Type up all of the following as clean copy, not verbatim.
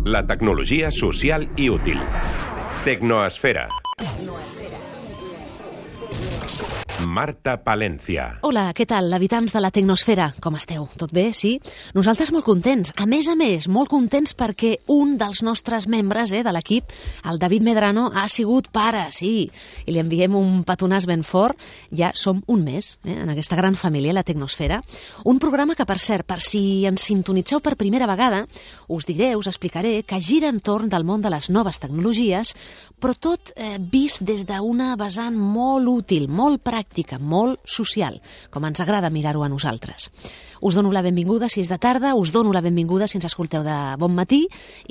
La tecnologia social i útil. Tecnoesfera. Marta Palencia. Hola, què tal, habitants de la Tecnosfera? Com esteu? Tot bé, sí? Nosaltres molt contents. A més, molt contents perquè un dels nostres membres de l'equip, el David Medrano, ha sigut pare, sí. I li enviem un petonàs ben fort. Ja som un mes en aquesta gran família, la Tecnosfera. Un programa que, per cert, per si ens sintonitzeu per primera vegada, us diré, us explicaré que gira entorn del món de les noves tecnologies, però tot vist des d'una vessant molt útil, molt pràctica, molt social, com ens agrada mirar-ho a nosaltres. Us dono la benvinguda si és de tarda, us dono la benvinguda si ens escolteu de bon matí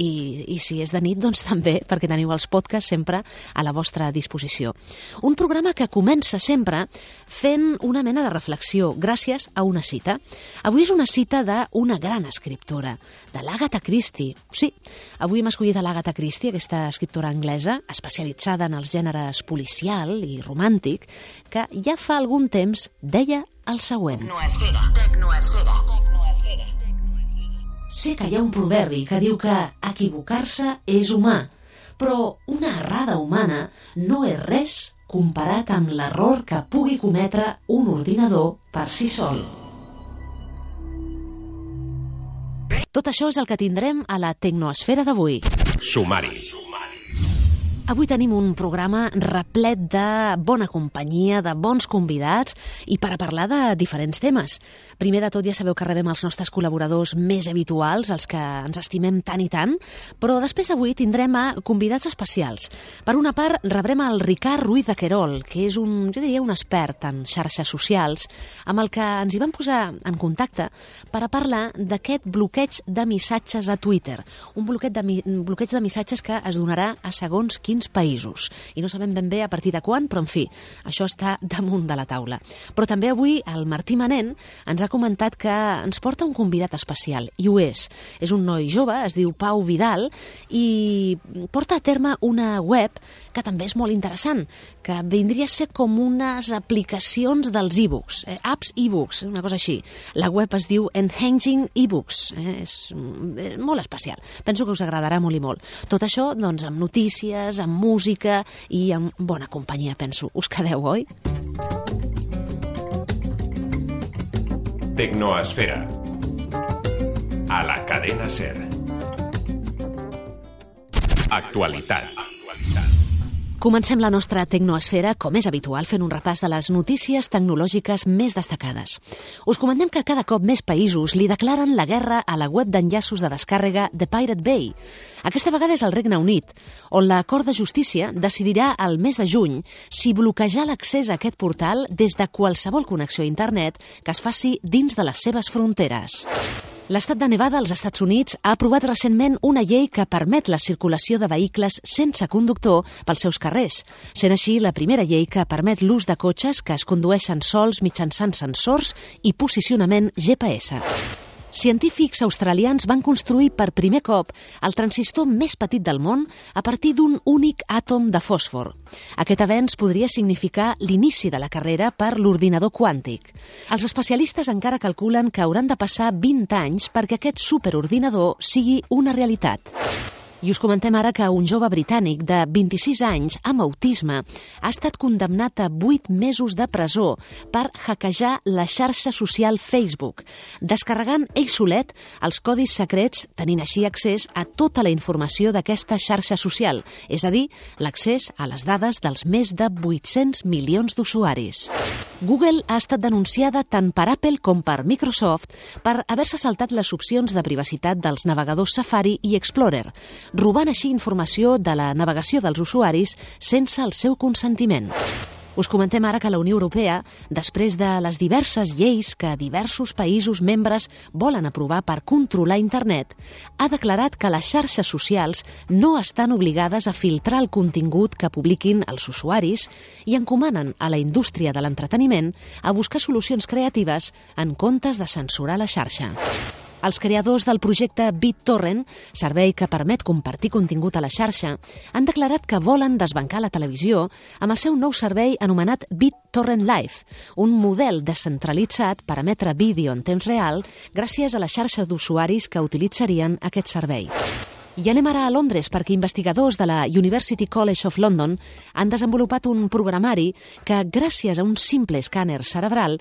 i si és de nit, doncs també, perquè teniu els podcasts sempre a la vostra disposició. Un programa que comença sempre fent una mena de reflexió gràcies a una cita. Avui és una cita d'una gran escriptora, de l'Agatha Christie. Sí, avui hem escollit a l'Agatha Christie, aquesta escriptora anglesa, especialitzada en els gèneres policial i romàntic, que ja fa algun temps deia el següent. Tecnoesfera. Sé que hi ha un proverbi que diu que equivocar-se és humà, però una errada humana no és res comparat amb l'error que pugui cometre un ordinador per si sol. Tot això és el que tindrem a la Tecnoesfera d'avui. Sumari. Avui tenim un programa replet de bona companyia, de bons convidats i per a parlar de diferents temes. Primer de tot ja sabeu que rebem els nostres col·laboradors més habituals, els que ens estimem tant i tant, però després avui tindrem a convidats especials. Per una part rebrem el Ricard Ruiz de Querol, que és un expert en xarxes socials, amb el que ens hi vam posar en contacte per a parlar d'aquest bloqueig de missatges a Twitter. Un bloqueig de missatges que es donarà a segons quins països. I no sabem ben bé a partir de quan, però en fi, això està damunt de la taula. Però també avui el Martí Manent ens ha comentat que ens porta un convidat especial, i ho és. És un noi jove, es diu Pau Vidal, i porta a terme una web que també és molt interessant, que vindria a ser com unes aplicacions dels e-books, apps e-books, una cosa així. La web es diu Enhancing eBooks, és molt especial. Penso que us agradarà molt i molt. Tot això, doncs, amb notícies, amb música i amb bona companyia, penso. Us quedeu, oi? Tecnoesfera. A la cadena SER. Actualitat. Comencem la nostra Tecnoesfera, com és habitual, fent un repàs de les notícies tecnològiques més destacades. Us comentem que cada cop més països li declaren la guerra a la web d'enllaços de descàrrega de Pirate Bay. Aquesta vegada és el Regne Unit, on la Cort de Justícia decidirà el mes de juny si bloquejar l'accés a aquest portal des de qualsevol connexió a internet que es faci dins de les seves fronteres. L'estat de Nevada, als Estats Units, ha aprovat recentment una llei que permet la circulació de vehicles sense conductor pels seus carrers, sent així la primera llei que permet l'ús de cotxes que es condueixen sols mitjançant sensors i posicionament GPS. Científics australians van construir per primer cop el transistor més petit del món a partir d'un únic àtom de fòsfor. Aquest avenç podria significar l'inici de la carrera per l'ordinador quàntic. Els especialistes encara calculen que hauran de passar 20 anys perquè aquest superordinador sigui una realitat. I us comentem ara que un jove britànic de 26 anys amb autisme ha estat condemnat a 8 mesos de presó per hackejar la xarxa social Facebook, descarregant ell solet els codis secrets, tenint així accés a tota la informació d'aquesta xarxa social, és a dir, l'accés a les dades dels més de 800 milions d'usuaris. Google ha estat denunciada tant per Apple com per Microsoft per haver-se saltat les opcions de privacitat dels navegadors Safari i Explorer, robant així informació de la navegació dels usuaris sense el seu consentiment. Us comentem ara que la Unió Europea, després de les diverses lleis que diversos països membres volen aprovar per controlar internet, ha declarat que les xarxes socials no estan obligades a filtrar el contingut que publiquin els usuaris i encomanen a la indústria de l'entreteniment a buscar solucions creatives en comptes de censurar la xarxa. Els creadors del projecte BitTorrent, servei que permet compartir contingut a la xarxa, han declarat que volen desbancar la televisió amb el seu nou servei anomenat BitTorrent Live, un model descentralitzat per emetre vídeo en temps real gràcies a la xarxa d'usuaris que utilitzarien aquest servei. I anem ara a Londres perquè investigadors de la University College of London han desenvolupat un programari que, gràcies a un simple escàner cerebral,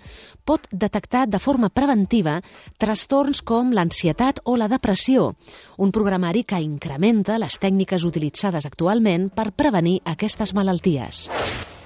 pot detectar de forma preventiva trastorns com l'ansietat o la depressió. Un programari que incrementa les tècniques utilitzades actualment per prevenir aquestes malalties.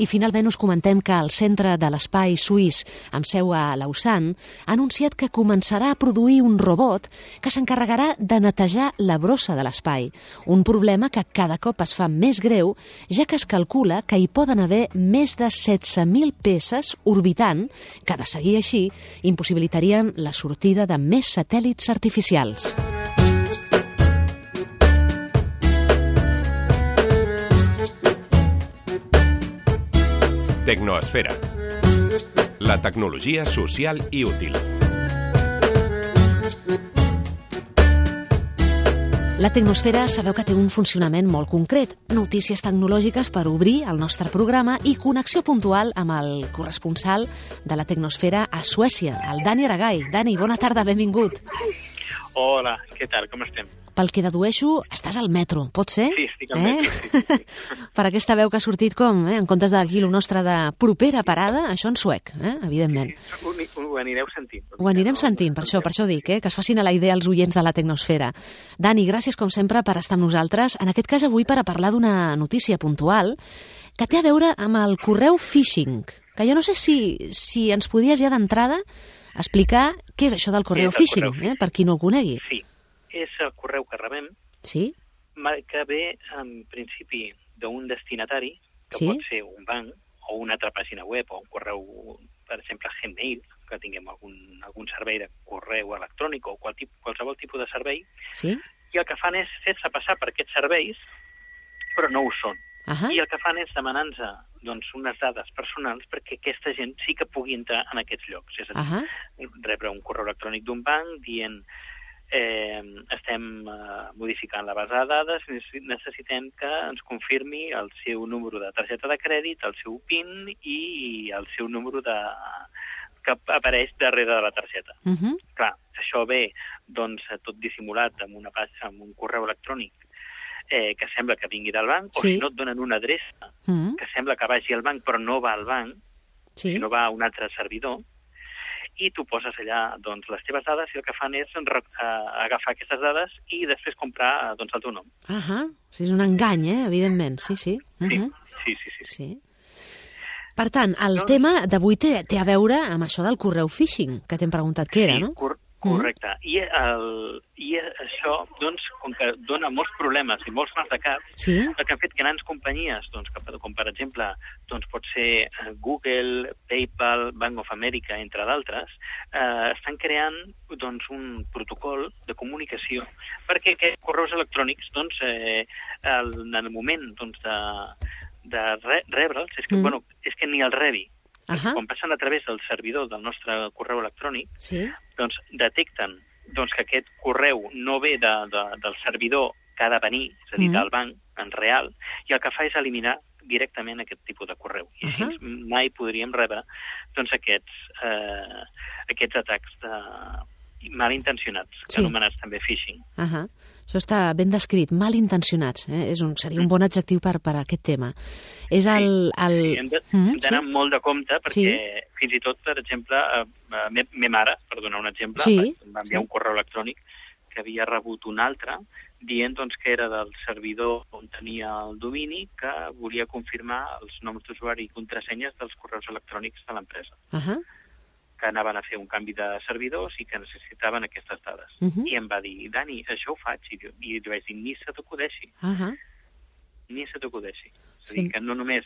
I finalment us comentem que el Centre de l'Espai Suís, amb seu a Lausanne, ha anunciat que començarà a produir un robot que s'encarregarà de netejar la brossa de l'espai, un problema que cada cop es fa més greu, ja que es calcula que hi poden haver més de 16.000 peces orbitant, que de seguir així impossibilitarien la sortida de més satèl·lits artificials. Tecnoesfera. La tecnologia social i útil. La tecnosfera sabeu que té un funcionament molt concret. Notícies tecnològiques per obrir el nostre programa i connexió puntual amb el corresponsal de la tecnosfera a Suècia, el Dani Aragay. Dani, bona tarda, benvingut. Hola, què tal, com estem? Pel que dedueixo, estàs al metro, pot ser? Sí, estic al metro. Sí. Per aquesta veu que ha sortit com, en comptes d'aquí el nostre de propera parada, això en suec, evidentment. Ho anireu sentint. Ho anirem sentint, per això dic, que es facin a la idea els oients de la tecnosfera. Dani, gràcies com sempre per estar amb nosaltres, en aquest cas avui per a parlar d'una notícia puntual que té a veure amb el correu phishing, que jo no sé si ens podies ja d'entrada explicar què és això del correu phishing, per qui no ho conegui. Sí, és el correu que rebem, sí? Que ve, en principi, d'un destinatari, que pot ser un banc o una altra pàgina web o un correu, per exemple, Gmail, que tinguem algun servei de correu electrònic o qualsevol tipus de servei, sí? I el que fan és fer-se passar per aquests serveis, però no ho són. I el que fan és demanar-nos unes dades personals perquè aquesta gent sí que pugui entrar en aquests llocs. És a dir, rebre un correu electrònic d'un banc dient estem modificant la base de dades, necessitem que ens confirmi el seu número de targeta de crèdit, el seu PIN i el seu número que apareix darrere de la targeta. Clar, això ve tot dissimulat amb un correu electrònic que sembla que vingui del banc, o si no et donen una adreça que sembla que vagi al banc però no va al banc, sinó va a un altre servidor, i tu poses allà les teves dades i el que fan és agafar aquestes dades i després comprar el teu nom. És un engany, evidentment, sí. Sí. Per tant, el tema d'avui té a veure amb això del correu phishing, que t'hem preguntat què era, no? Correcte. I això, com que dona molts problemes i molts mals de cap, el que han fet grans companyies, com per exemple pot ser Google, PayPal, Bank of America, entre d'altres, estan creant un protocol de comunicació perquè aquests correus electrònics, en el moment de rebre'ls, és que ni el rebi. Quan passen a través del servidor del nostre correu electrònic, detecten que aquest correu no ve del servidor que ha de venir, és a dir, del banc, en real, i el que fa és eliminar directament aquest tipus de correu. I així mai podríem rebre aquests atacs malintencionats, anomenats també phishing. Això està ben descrit, malintencionats. Seria un bon adjectiu per a aquest tema. Hem d'anar molt de compte perquè fins i tot, per exemple, me mare, per donar un exemple, va enviar un correu electrònic que havia rebut un altre dient que era del servidor on tenia el domini que volia confirmar els noms d'usuari i contrasenyes dels correus electrònics de l'empresa. Que anaven a fer un canvi de servidors i que necessitaven aquestes dades. I em va dir, Dani, això ho faig. I li vaig dir, ni se t'acudeixi. Ni se t'acudeixi. És a dir, que no només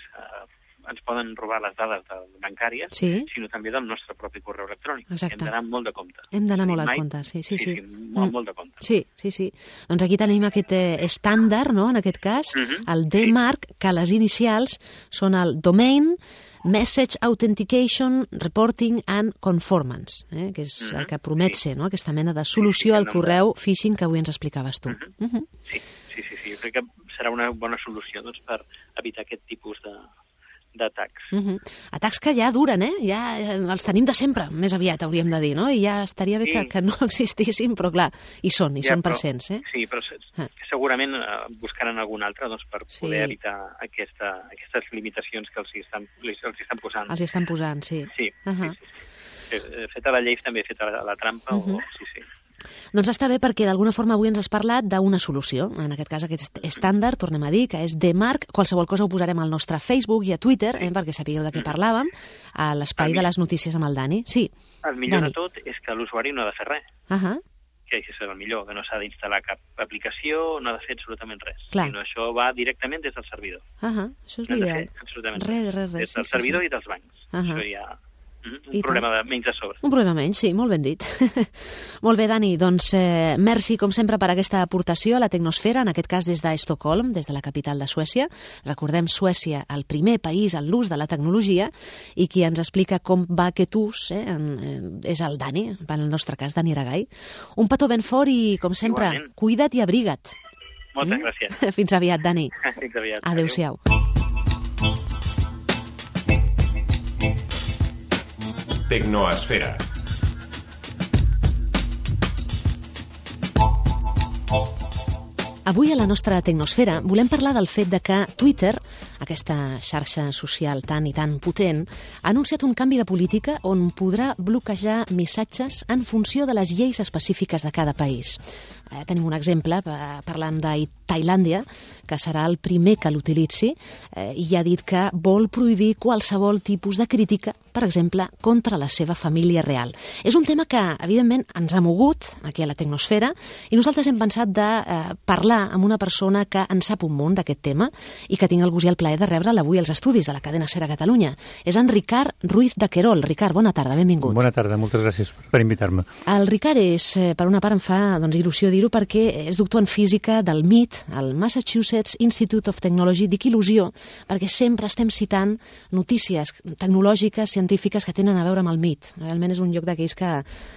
ens poden robar les dades bancàries, sinó també del nostre propi correu electrònic. Hem d'anar molt de compte. Hem d'anar molt de compte, sí. Molt de compte. Sí. Doncs aquí tenim aquest estàndard, no?, en aquest cas, el DMARC, que les inicials són el Domain Message Authentication, Reporting and Conformance, que és el que promet ser, no?, aquesta mena de solució al correu phishing que avui ens explicaves tu. Sí. Jo crec que serà una bona solució per evitar aquest tipus d'atacs. Atacs que ja duren, ja els tenim de sempre, més aviat hauríem de dir, no? I ja estaria bé que no existissin, però clar, hi són presents, Sí, però segurament buscaran algun altre per poder evitar aquestes limitacions que els estan posant. Els estan posant, sí. Sí. Feta la llei també feta la trampa, sí. Doncs està bé perquè d'alguna forma avui ens has parlat d'una solució, en aquest cas aquest estàndard, tornem a dir, que és DMARC, qualsevol cosa ho posarem al nostre Facebook i a Twitter, perquè sapigueu de què parlàvem, a l'espai de les notícies amb el Dani. Sí. El millor de tot és que l'usuari no ha de fer res. Que és el millor, que no s'ha d'instal·lar cap aplicació, no ha de fer absolutament res. Sinó això va directament des del servidor. Això és l'ideal. Res. Des del servidor i dels bancs. Això ja... Un problema menys a sobre. Un problema menys, sí, molt ben dit. Molt bé, Dani, doncs merci, com sempre, per aquesta aportació a la tecnosfera, en aquest cas des d'Estocolm, des de la capital de Suècia. Recordem, Suècia, el primer país en l'ús de la tecnologia, i qui ens explica com va aquest ús és el Dani, en el nostre cas, Dani Aragay. Un petó ben fort i, com sempre, cuida't i abriga't. Moltes gràcies. Fins aviat, Dani. Fins aviat. Adéu-siau. Tecnoesfera. Avui a la nostra tecnosfera volem parlar del fet de que Twitter, aquesta xarxa social tan i tan potent, ha anunciat un canvi de política on podrà bloquejar missatges en funció de les lleis específiques de cada país. Tenim un exemple, parlant de Tailàndia, que serà el primer que l'utilitzi, i ha dit que vol prohibir qualsevol tipus de crítica, per exemple, contra la seva família real. És un tema que, evidentment, ens ha mogut aquí a la tecnosfera, i nosaltres hem pensat de parlar amb una persona que en sap un munt d'aquest tema i que tinc el gust i el plaer de rebre'l avui als estudis de la cadena SER a Catalunya. És en Ricard Ruiz de Querol. Ricard, bona tarda, benvingut. Bona tarda, moltes gràcies per invitar-me. El Ricard és, per una part, em fa il·lusió dir-ho, perquè és doctor en física del MIT, el Massachusetts Institute of Technology. Dic il·lusió perquè sempre estem citant notícies tecnològiques, científiques que tenen a veure amb el MIT. Realment és un lloc d'aquells que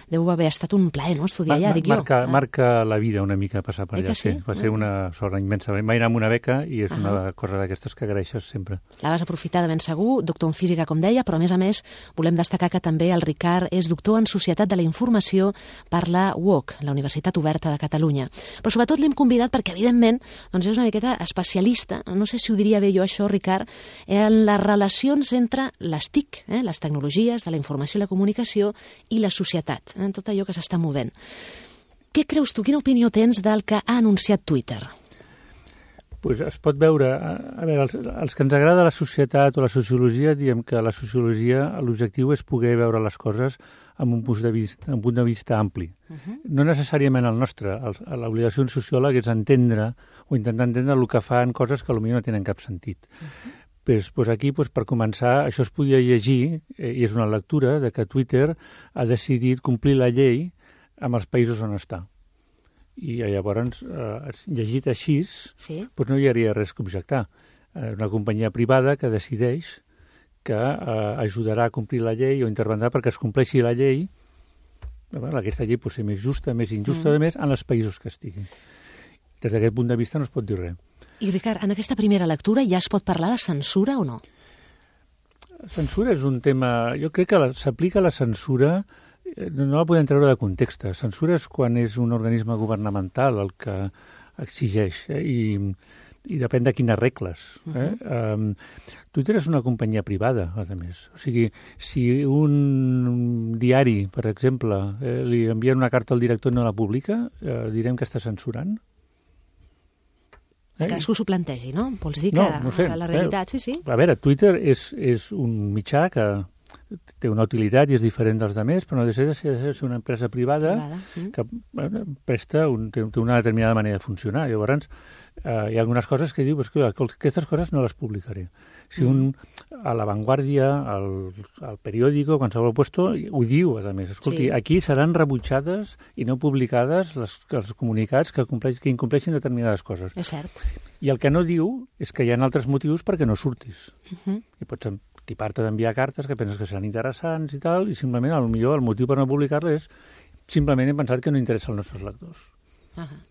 deu haver estat un plaer, no?, estudiar allà, dic jo. Marca la vida una mica passar per allà, sí. Va ser una sort immensa. Vaig anar amb una beca i és una cosa d'aquestes que agraeixes sempre. La vas aprofitar de ben segur, doctor en física, com deia, però a més volem destacar que també el Ricard és doctor en Societat de la Informació per la UOC, la Universitat Oberta de Catalunya. Però sobretot l'hem convidat perquè, evidentment, doncs és una miqueta especialista, no sé si ho diria bé jo això, Ricard, en les relacions entre les TIC, les tecnologies de la informació i la comunicació, i la societat, en tot allò que s'està movent. Què creus tu, quina opinió tens del que ha anunciat Twitter? Pues es pot veure, a veure, els que ens agrada la societat o la sociologia, diem que la sociologia, l'objectiu és poder veure les coses amb un punt de vista ampli. No necessàriament el nostre. L'obligació d'un sociòleg és entendre o intentar entendre el que fan coses que potser no tenen cap sentit. Pues aquí, per començar, això es podia llegir, i és una lectura, de que Twitter ha decidit complir la llei amb els països on està. I llavors, llegit així, no hi hauria res que objectar. Una companyia privada que decideix que ajudarà a complir la llei o intervendrà perquè es compleixi la llei. Aquesta llei pot ser més justa, més injusta, a més, en els països que estigui. Des d'aquest punt de vista no es pot dir res. I, Ricard, en aquesta primera lectura ja es pot parlar de censura o no? Censura és un tema... Jo crec que s'aplica la censura, no la podem treure de context. Censura és quan és un organisme governamental el que exigeix, i depèn de quines regles. Twitter és una companyia privada, a més. O sigui, si un diari, per exemple, li envien una carta al director i no la publica, direm que està censurant? Cadascú s'ho plantegi, no? Vols dir que no sé, la realitat, sí. A veure, Twitter és un mitjà que té una utilitat i és diferent dels altres, però no deixa de ser una empresa privada que presta, té una determinada manera de funcionar. Llavors, hi ha algunes coses que diu que aquestes coses no les publicaré. Si a La Vanguardia, al periòdico, qualsevol puesto, ho diu, a més. Escolti, aquí seran rebutjades i no publicades els comunicats que incompleixin determinades coses. És cert. I el que no diu és que hi ha altres motius perquè no surtis. I pots tipar-te d'enviar cartes que penses que seran interessants i tal, i simplement, potser el motiu per no publicar-les és simplement he pensat que no interessa als nostres lectors.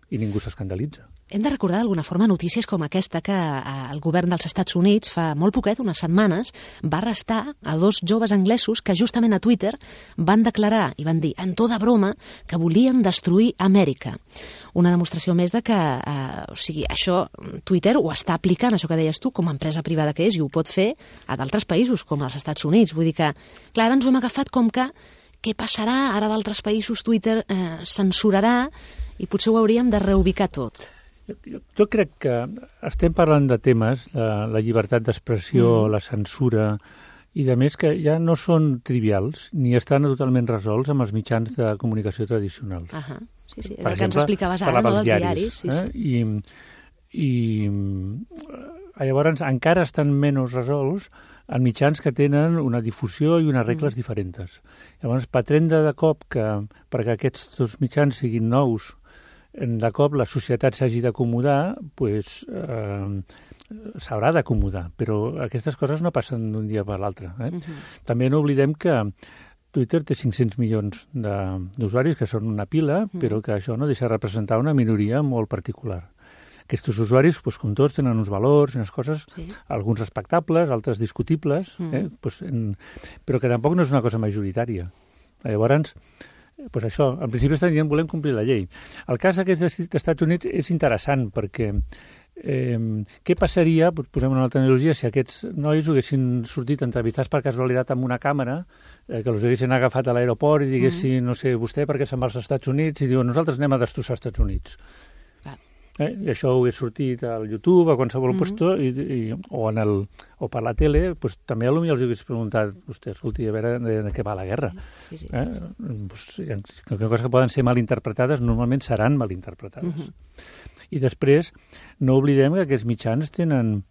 I ningú s'escandalitza. Hem de recordar d'alguna forma notícies com aquesta que el govern dels Estats Units fa molt poquet, unes setmanes, va arrestar a 2 joves anglesos que justament a Twitter van declarar i van dir en to de broma que volien destruir Amèrica. Una demostració més de que això Twitter ho està aplicant, això que deies tu, com a empresa privada que és, i ho pot fer a d'altres països, com als Estats Units. Vull dir que, clar, ara ens ho hem agafat com que què passarà? Ara d'altres països Twitter censurarà i potser ho hauríem de reubicar tot. Jo crec que estem parlant de temes, la llibertat d'expressió, la censura, i de més que ja no són trivials ni estan totalment resolts amb els mitjans de comunicació tradicionals. Sí, el que ens explicaves ara, no, dels diaris. I llavors encara estan menys resolts en mitjans que tenen una difusió i unes regles diferents. Llavors, pretendre de cop que perquè aquests dos mitjans siguin nous, de cop la societat s'hagi d'acomodar, doncs s'haurà d'acomodar, però aquestes coses no passen d'un dia per l'altre. També no oblidem que Twitter té 500 milions d'usuaris, que són una pila, però que això no deixa de representar una minoria molt particular. Aquests usuaris, com tots, tenen uns valors, unes coses, alguns respectables, altres discutibles, però que tampoc no és una cosa majoritària. Llavors, això, en principi estan dient volem complir la llei. El cas aquest dels Estats Units és interessant perquè què passaria, posem una altra analogia, si aquests nois haguessin sortit entrevistats per casualitat amb una càmera, que els haguessin agafat a l'aeroport i diguessin, no sé, vostè per què se'n va als Estats Units, i diuen, nosaltres anem a destrossar els Estats Units. I això ho he sortit al YouTube, a qualsevol lloc, o per la tele, també potser els hagués preguntat, vostè, escolti, a veure de què va la guerra. Coses que poden ser malinterpretades, normalment seran malinterpretades. I després, no oblidem que aquests mitjans tenen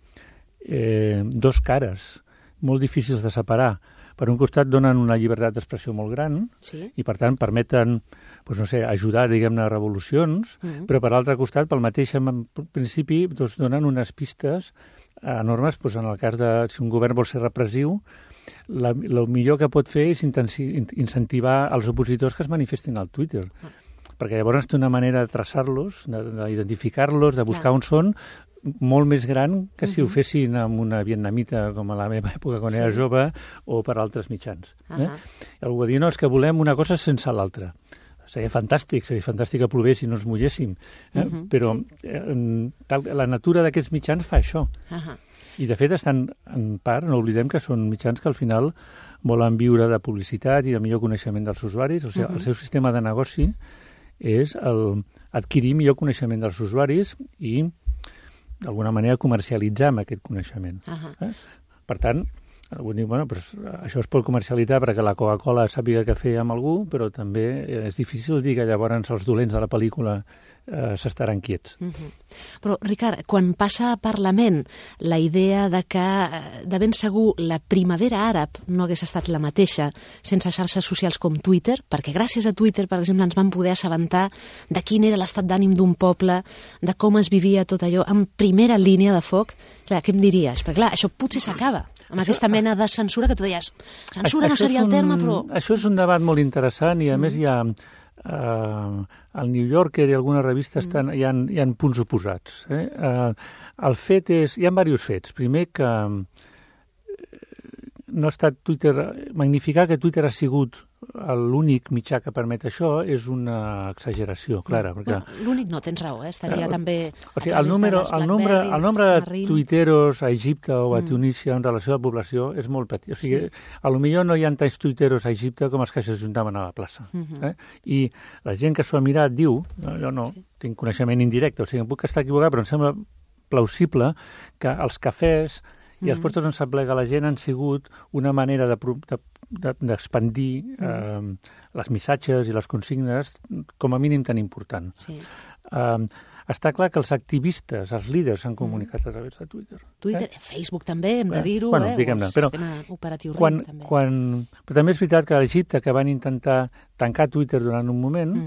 dos cares, molt difícils de separar. Per un costat donen una llibertat d'expressió molt gran i, per tant, permeten ajudar, diguem-ne, a revolucions, però per l'altre costat, pel mateix principi, donen unes pistes enormes, en el cas de si un govern vol ser repressiu, el millor que pot fer és incentivar els opositors que es manifestin al Twitter, perquè llavors té una manera de traçar-los, d'identificar-los, de buscar on són, molt més gran que si ho fessin amb una vietnamita com a la meva època quan era jove o per altres mitjans. Algú va dir, no, és que volem una cosa sense l'altra. Seria fantàstic que plovés i no ens mulléssim, però la natura d'aquests mitjans fa això. I de fet estan, en part, no oblidem que són mitjans que al final volen viure de publicitat i de millor coneixement dels usuaris, o sigui, el seu sistema de negoci és adquirir millor coneixement dels usuaris i d'alguna manera comercialitzar amb aquest coneixement. Per tant, algú diu, això es pot comercialitzar perquè la Coca-Cola sàpiga què fer amb algú, però també és difícil dir que llavors els dolents de la pel·lícula s'estaran quiets. Però, Ricard, quan passa a Parlament la idea de que de ben segur la primavera àrab no hagués estat la mateixa sense xarxes socials com Twitter, perquè gràcies a Twitter, per exemple, ens vam poder assabentar de quin era l'estat d'ànim d'un poble, de com es vivia tot allò en primera línia de foc, clar, què em diries? Perquè, clar, això potser s'acaba amb aquesta mena de censura que tu deies. Censura no seria el terme, però... Això és un debat molt interessant i, a més, hi ha al New Yorker i algunes revistes hi ha punts oposats. El fet és... Hi ha diversos fets. Primer, que no ha estat Twitter... Magnificar que Twitter ha sigut l'únic mitjà que permet això és una exageració, clara. Perquè... L'únic no, tens raó, estaria també... O sigui, el nombre de tuiteros a Egipte o a Tunísia en relació a la població és molt petit. O sigui, potser no hi ha tants tuiteros a Egipte com els que s'ajuntaven a la plaça. I la gent que s'ho ha mirat diu, jo no tinc coneixement indirecte, o sigui, em puc estar equivocat, però em sembla plausible que els cafès i els puestos on s'aplega la gent han sigut una manera d'expandir les missatges i les consignes com a mínim tan important. Està clar que els activistes, els líders s'han comunicat a través de Twitter. Facebook també, hem de dir-ho, o el sistema operatiu RIM també. Però també és veritat que a Egipte, que van intentar tancar Twitter durant un moment,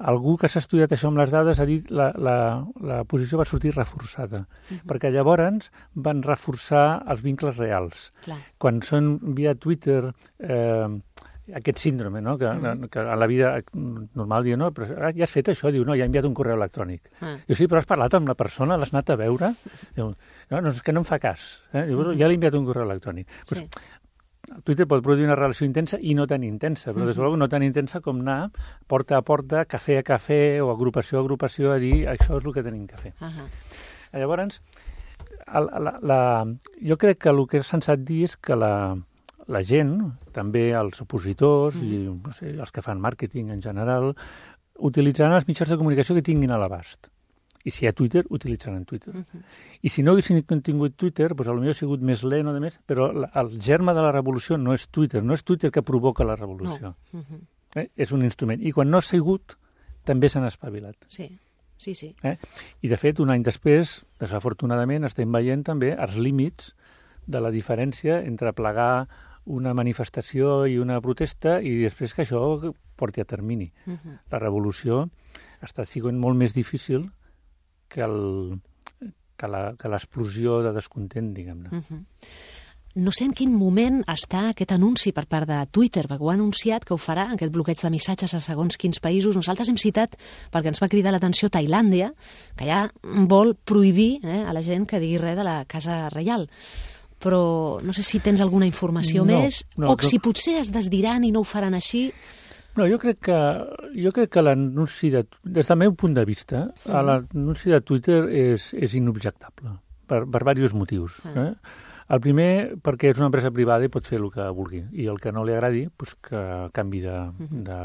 algú que s'ha estudiat això amb les dades ha dit la posició va sortir reforçada, perquè llavors van reforçar els vincles reals. Quan són via Twitter aquest síndrome, no? Que a la vida normal diu, no, però ja has fet això, diu, no, ja he enviat un correu electrònic. Diu, sí, però has parlat amb la persona, l'has anat a veure? Diu, no, és que no em fa cas. Diu, ja l'he enviat un correu electrònic. Pues, Twitter pot produir una relació intensa i no tan intensa, però des de no tan intensa com anar porta a porta, cafè a cafè o agrupació a agrupació a dir això és el que tenim que fer. Llavors, jo crec que el que és sensat dir és que la gent, també els opositors i no sé, els que fan màrqueting en general, utilitzaran els mitjans de comunicació que tinguin a l'abast. I si hi ha Twitter, utilitzaran Twitter. I si no haguessin tingut Twitter, doncs potser ha sigut més lent o de més, però el germe de la revolució no és Twitter, no és Twitter que provoca la revolució. És un instrument. I quan no ha sigut, també s'han espavilat. Sí. I, de fet, un any després, desafortunadament, estem veient també els límits de la diferència entre plegar una manifestació i una protesta i després que això porti a termini. La revolució està sent molt més difícil que l'explosió de descontent, diguem-ne. No sé en quin moment està aquest anunci per part de Twitter, perquè ho ha anunciat que ho farà, aquest bloqueig de missatges a segons quins països. Nosaltres hem citat, perquè ens va cridar l'atenció, Tailàndia, que ja vol prohibir a la gent que digui res de la Casa Reial. Però no sé si tens alguna informació més, o si potser es desdiran i no ho faran així. No, jo crec que l'anunci, des del meu punt de vista, l'anunci de Twitter és inobjectable, per diversos motius. El primer, perquè és una empresa privada i pot fer el que vulgui, i el que no li agradi, doncs que canvi de...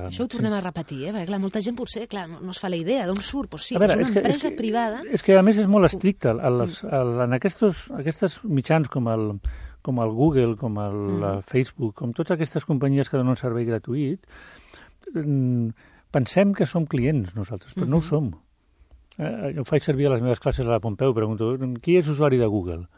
Això ho tornem a repetir, perquè clar, molta gent potser no es fa la idea d'on surt, però sí, és una empresa privada... És que a més és molt estricte. En aquests mitjans com el Google, com el Facebook, com totes aquestes companyies que donen un servei gratuït, pensem que som clients nosaltres, però no ho som. Jo faig servir a les meves classes a la Pompeu, pregunto, qui és usuari de Google?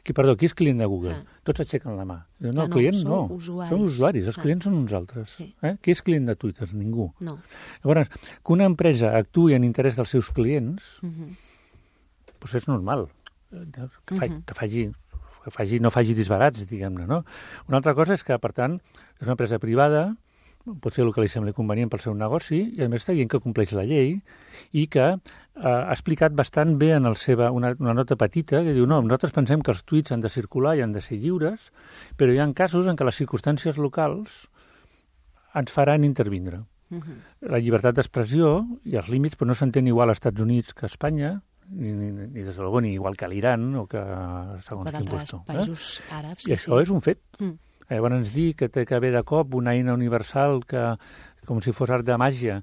Qui és client de Google? Tots aixequen la mà. No, clients no. Som usuaris, els clients són uns altres. Qui és client de Twitter? Ningú. Llavors, que una empresa actuï en interès dels seus clients, doncs és normal. Que no faci disbarats, diguem-ne, no? Una altra cosa és que, per tant, és una empresa privada, pot fer el que li sembli convenient pel seu negoci, i a més està dient que compleix la llei i que ha explicat bastant bé en una nota petita que diu, no, nosaltres pensem que els tuits han de circular i han de ser lliures, però hi ha casos en què les circumstàncies locals ens faran intervindre. La llibertat d'expressió i els límits però no s'entén igual als Estats Units que a Espanya, ni des de ni igual que a l'Iran o que segons quin puesto. Països àrabs. I això és un fet. Llavors dir que té que haver de cop una eina universal que com si fos art de màgia.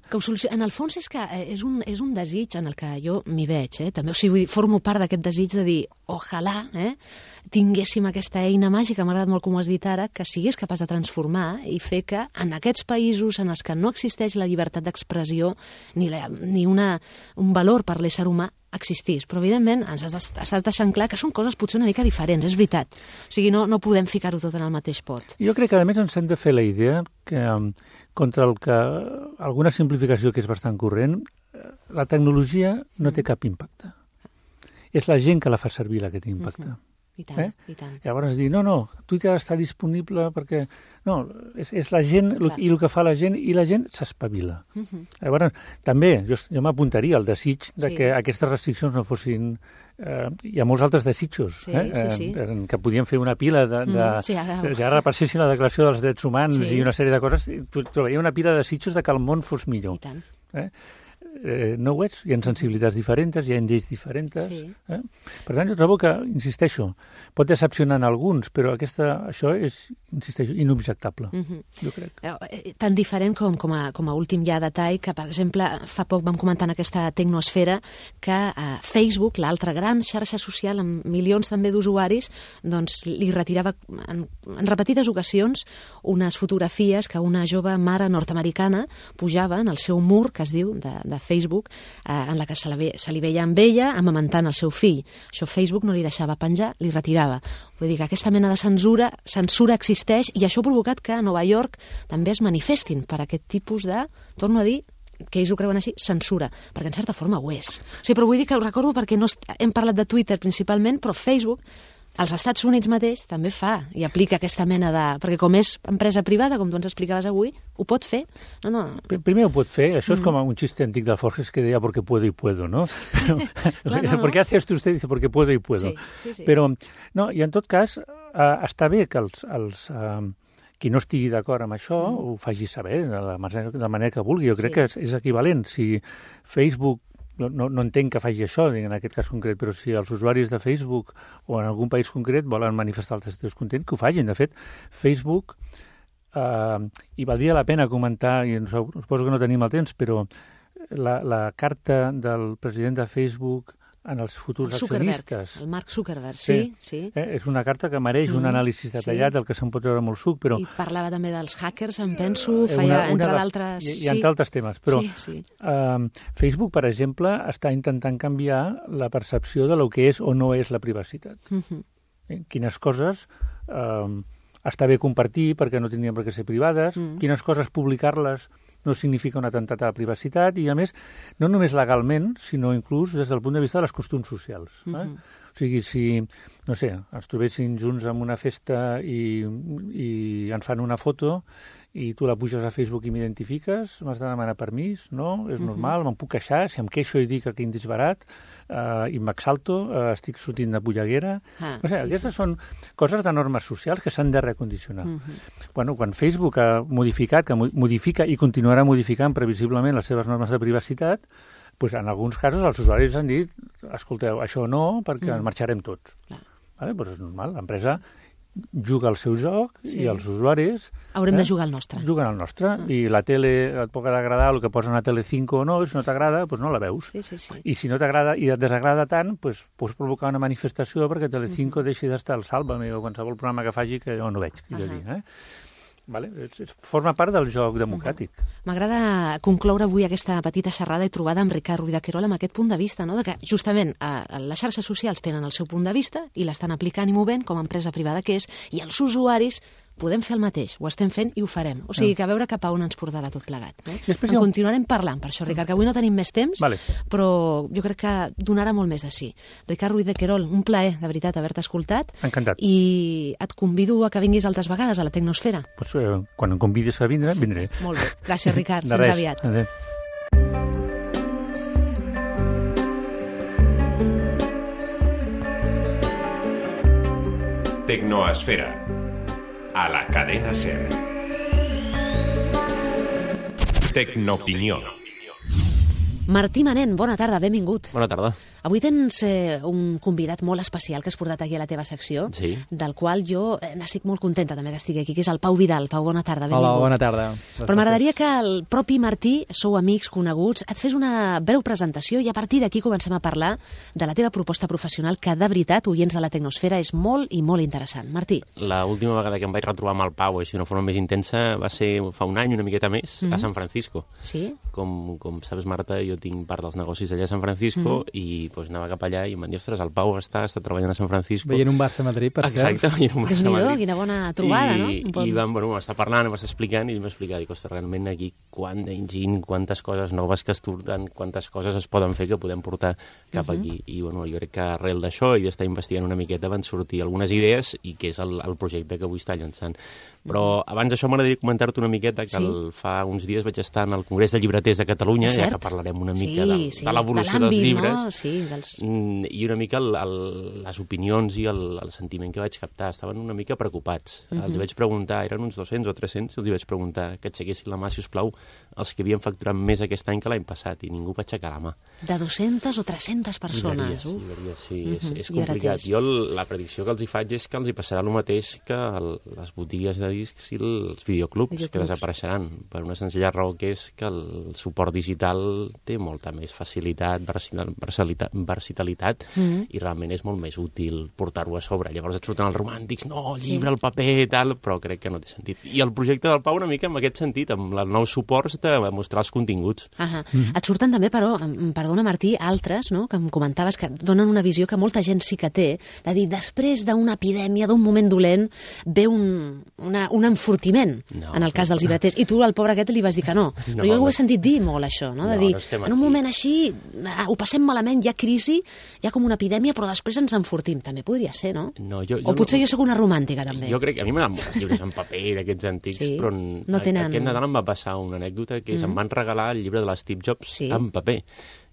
En el fons és que és un desig en el que jo m'hi veig, també, o sigui, formo part d'aquest desig de dir, ojalà tinguéssim aquesta eina màgica, m'ha agradat molt com ho has dit ara, que sigués capaç de transformar i fer que en aquests països en els que no existeix la llibertat d'expressió ni un valor per l'ésser humà existís. Però, evidentment, ens estàs deixant clar que són coses potser una mica diferents, és veritat. O sigui, no podem ficar-ho tot en el mateix pot. Jo crec que, a més, ens hem de fer la idea que contra el que alguna simplificació que és bastant corrent, la tecnologia no té cap impacte. És la gent que la fa servir la que té impacte. I tant, i tant. Llavors dir, no, Twitter està disponible perquè... No, és la gent i el que fa la gent, i la gent s'espavila. Llavors, també, jo m'apuntaria al desig de que aquestes restriccions no fossin... hi ha molts altres desitjos, que podien fer una pila que repassessin la Declaració dels Drets Humans i una sèrie de coses, trobaria una pila de desitjos de que el món fos millor. I tant. No ho ets, hi ha sensibilitats diferents, hi ha lleis diferents. Per tant, jo trobo que, insisteixo, pot decepcionar en alguns, però això és, insisteixo, inobjectable, jo crec. Tan diferent com a últim ja detall, que, per exemple, fa poc vam comentar en aquesta tecnosfera que Facebook, l'altra gran xarxa social amb milions també d'usuaris, doncs li retirava en repetides ocasions unes fotografies que una jove mare nord-americana pujava en el seu mur, que es diu, de Facebook, en la que se li veia amb ella amamentant el seu fill. Això Facebook no li deixava penjar, li retirava. Vull dir que aquesta mena de censura existeix, i això ha provocat que a Nova York també es manifestin per aquest tipus de, torno a dir, que ells ho creuen així, censura, perquè en certa forma ho és. O sigui, però vull dir que ho recordo perquè hem parlat de Twitter principalment, però Facebook als Estats Units mateix també fa i aplica aquesta mena de... Perquè com és empresa privada, com tu ens explicaves avui, ho pot fer. No. Primer ho pot fer. Això és com un xiste antic del Forges que deia porque puedo y puedo, ¿no? Però, claro, ¿por qué hace esto usted? Dice porque puedo y puedo. Sí. Però, no, i en tot cas, està bé que qui no estigui d'acord amb això ho faci saber de la manera que vulgui. Jo crec que és equivalent. Si Facebook, no entenc que faci això en aquest cas concret, però si els usuaris de Facebook o en algun país concret volen manifestar el seu descontent, que ho facin. De fet, Facebook, i valdria la pena comentar, i suposo que no tenim el temps, però la carta del president de Facebook en els futurs accionistes. El Mark Zuckerberg, sí. És una carta que mereix un anàlisi detallat, del que se'n pot veure molt suc, però... I parlava també dels hackers, em penso, feia entre d'altres... I entre altres temes, però Facebook, per exemple, està intentant canviar la percepció de lo que és o no és la privacitat. Quines coses està bé compartir perquè no tindrien per què ser privades, quines coses publicar-les no significa un atemptat a la privacitat i, a més, no només legalment, sinó inclús des del punt de vista de les costums socials. O sigui, si, no sé, ens trobessin junts en una festa i ens fan una foto i tu la puges a Facebook i m'identifiques, m'has de demanar permís, no? És normal, me'n puc queixar, si em queixo i dic que quin disbarat, i m'exalto, estic sortint de polleguera... Aquestes són coses de normes socials que s'han de recondicionar. Bueno, quan Facebook ha modificat, que modifica i continuarà modificant previsiblement les seves normes de privacitat, doncs en alguns casos els usuaris han dit escolteu, això no, perquè en marxarem tots. Doncs és normal, l'empresa juga el seu joc i els usuaris... Haurem de jugar el nostre. Juguen el nostre. I la tele et pot agradar el que posa a Telecinco o no, si no t'agrada, doncs no la veus. I si no t'agrada i et desagrada tant, doncs pots provocar una manifestació perquè Telecinco deixi d'estar al Sálvame o qualsevol programa que faci que jo no veig. Forma part del joc democràtic. M'agrada concloure avui aquesta petita xerrada i trobada amb Ricard Ruiz de Querol amb aquest punt de vista, no? De que justament les xarxes socials tenen el seu punt de vista i l'estan aplicant i movent com a empresa privada que és, i els usuaris podem fer el mateix, ho estem fent i ho farem. O sigui, que a veure cap a on ens portarà tot plegat. En continuarem parlant, per això, Ricard, que avui no tenim més temps, però jo crec que donarà molt més de sí. Ricard Ruiz de Querol, un plaer, de veritat, haver-te escoltat. Encantat. I et convido a que vinguis altres vegades a la Tecnosfera. Pues, quan em convidis a vindre, vindré. Molt bé. Gràcies, Ricard. Fins aviat. Adéu. Tecnoesfera, a la cadena SER. Tecnoopinió. Martí Manent, bona tarda, benvingut. Bona tarda. Avui tens un convidat molt especial que has portat aquí a la teva secció, del qual jo n'estic molt contenta també que estigui aquí, que és el Pau Vidal. Pau, bona tarda, benvingut. Hola, bona tarda. Però m'agradaria que el propi Martí, sou amics, coneguts, et fes una breu presentació i a partir d'aquí comencem a parlar de la teva proposta professional, que de veritat, oients de la Tecnosfera, és molt i molt interessant. Martí. L'última vegada que em vaig retrobar amb el Pau, així d'una forma més intensa, va ser fa un any, una miqueta més, a San Francisco. Sí? Com sabes, Marta, jo tinc part dels negocis allà a San Francisco i doncs anava cap allà i em van dir, ostres, el Pau està treballant a San Francisco. Veient un Barça a Madrid, per cert. Exacte, veient un Barça a Madrid. Quina bona trobada, no? I vam estar parlant, em va estar explicant i em va explicar, dic, ostres, realment aquí quant d'enginy, quantes coses noves que es surten, quantes coses es poden fer que podem portar cap aquí. I jo crec que arrel d'això i d'estar investigant una miqueta van sortir algunes idees i que és el projecte que avui està llançant. Però abans d'això m'agradaria comentar-te una miqueta que fa uns dies vaig estar en el Congrés de Llibreters de Catalunya, ja que parlarem una mica de l'evolució dels llibres, i una mica les opinions i el sentiment que vaig captar. Estaven una mica preocupats. Els vaig preguntar, eren uns 200 o 300, els vaig preguntar que aixequessin la mà, si us plau, els que havien facturat més aquest any que l'any passat, i ningú va aixecar la mà. De 200 o 300 persones. Sí, és complicat. Jo la predicció que els hi faig és que els hi passarà el mateix que les botigues de discs i els videoclubs, que desapareixeran, per una senzilla raó que és que el suport digital té molta més facilitat, versatilitat, i realment és molt més útil portar-ho a sobre. Llavors et surten els romàntics, no, llibre, el paper, tal, però crec que no té sentit. I el projecte del Pau una mica en aquest sentit, amb els nous suports de mostrar els continguts. Et surten també, però, perdona Martí, altres, no?, que em comentaves que donen una visió que molta gent sí que té, de dir, després d'una epidèmia, d'un moment dolent, ve un enfortiment, en el cas dels llibreters. I tu, al pobre aquest, li vas dir que no. Però jo ho he sentit dir molt, això, no? De dir, en un moment així ho passem malament, hi ha crisi, hi ha com una epidèmia, però després ens enfortim. També podria ser, no? O potser jo sóc una romàntica, també. Jo crec que a mi m'agraden els llibres en paper, aquests antics, però aquest Nadal em va passar una anècdota que em van regalar el llibre de l'Steve Jobs en paper.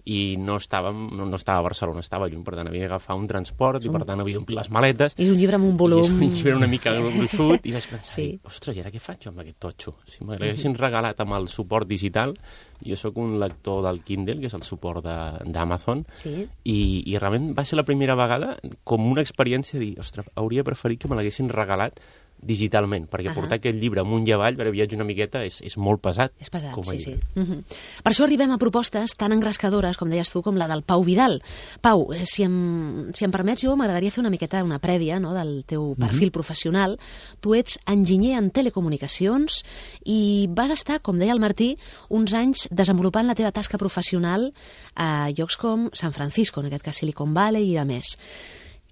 I no estava a Barcelona, estava lluny, per tant havia d'agafar un transport i per tant havia d'omplir les maletes. I un llibre amb un volum... I és un llibre una mica gruixut i vaig pensar, ostres, i ara què faig jo amb aquest totxo? Si m'haguessin regalat amb el suport digital, jo sóc un lector del Kindle, que és el suport d'Amazon, i realment va ser la primera vegada com una experiència de dir, ostres, hauria preferit que me l'haguessin regalat digitalment, perquè portar aquest llibre amunt i avall per viatge una miqueta és molt pesat. És pesat, sí. Per això arribem a propostes tan engrescadores, com deies tu, com la del Pau Vidal. Pau, si em permets, jo m'agradaria fer una miqueta una prèvia del teu perfil professional. Tu ets enginyer en telecomunicacions i vas estar, com deia el Martí, uns anys desenvolupant la teva tasca professional a llocs com San Francisco, en aquest cas Silicon Valley i de més.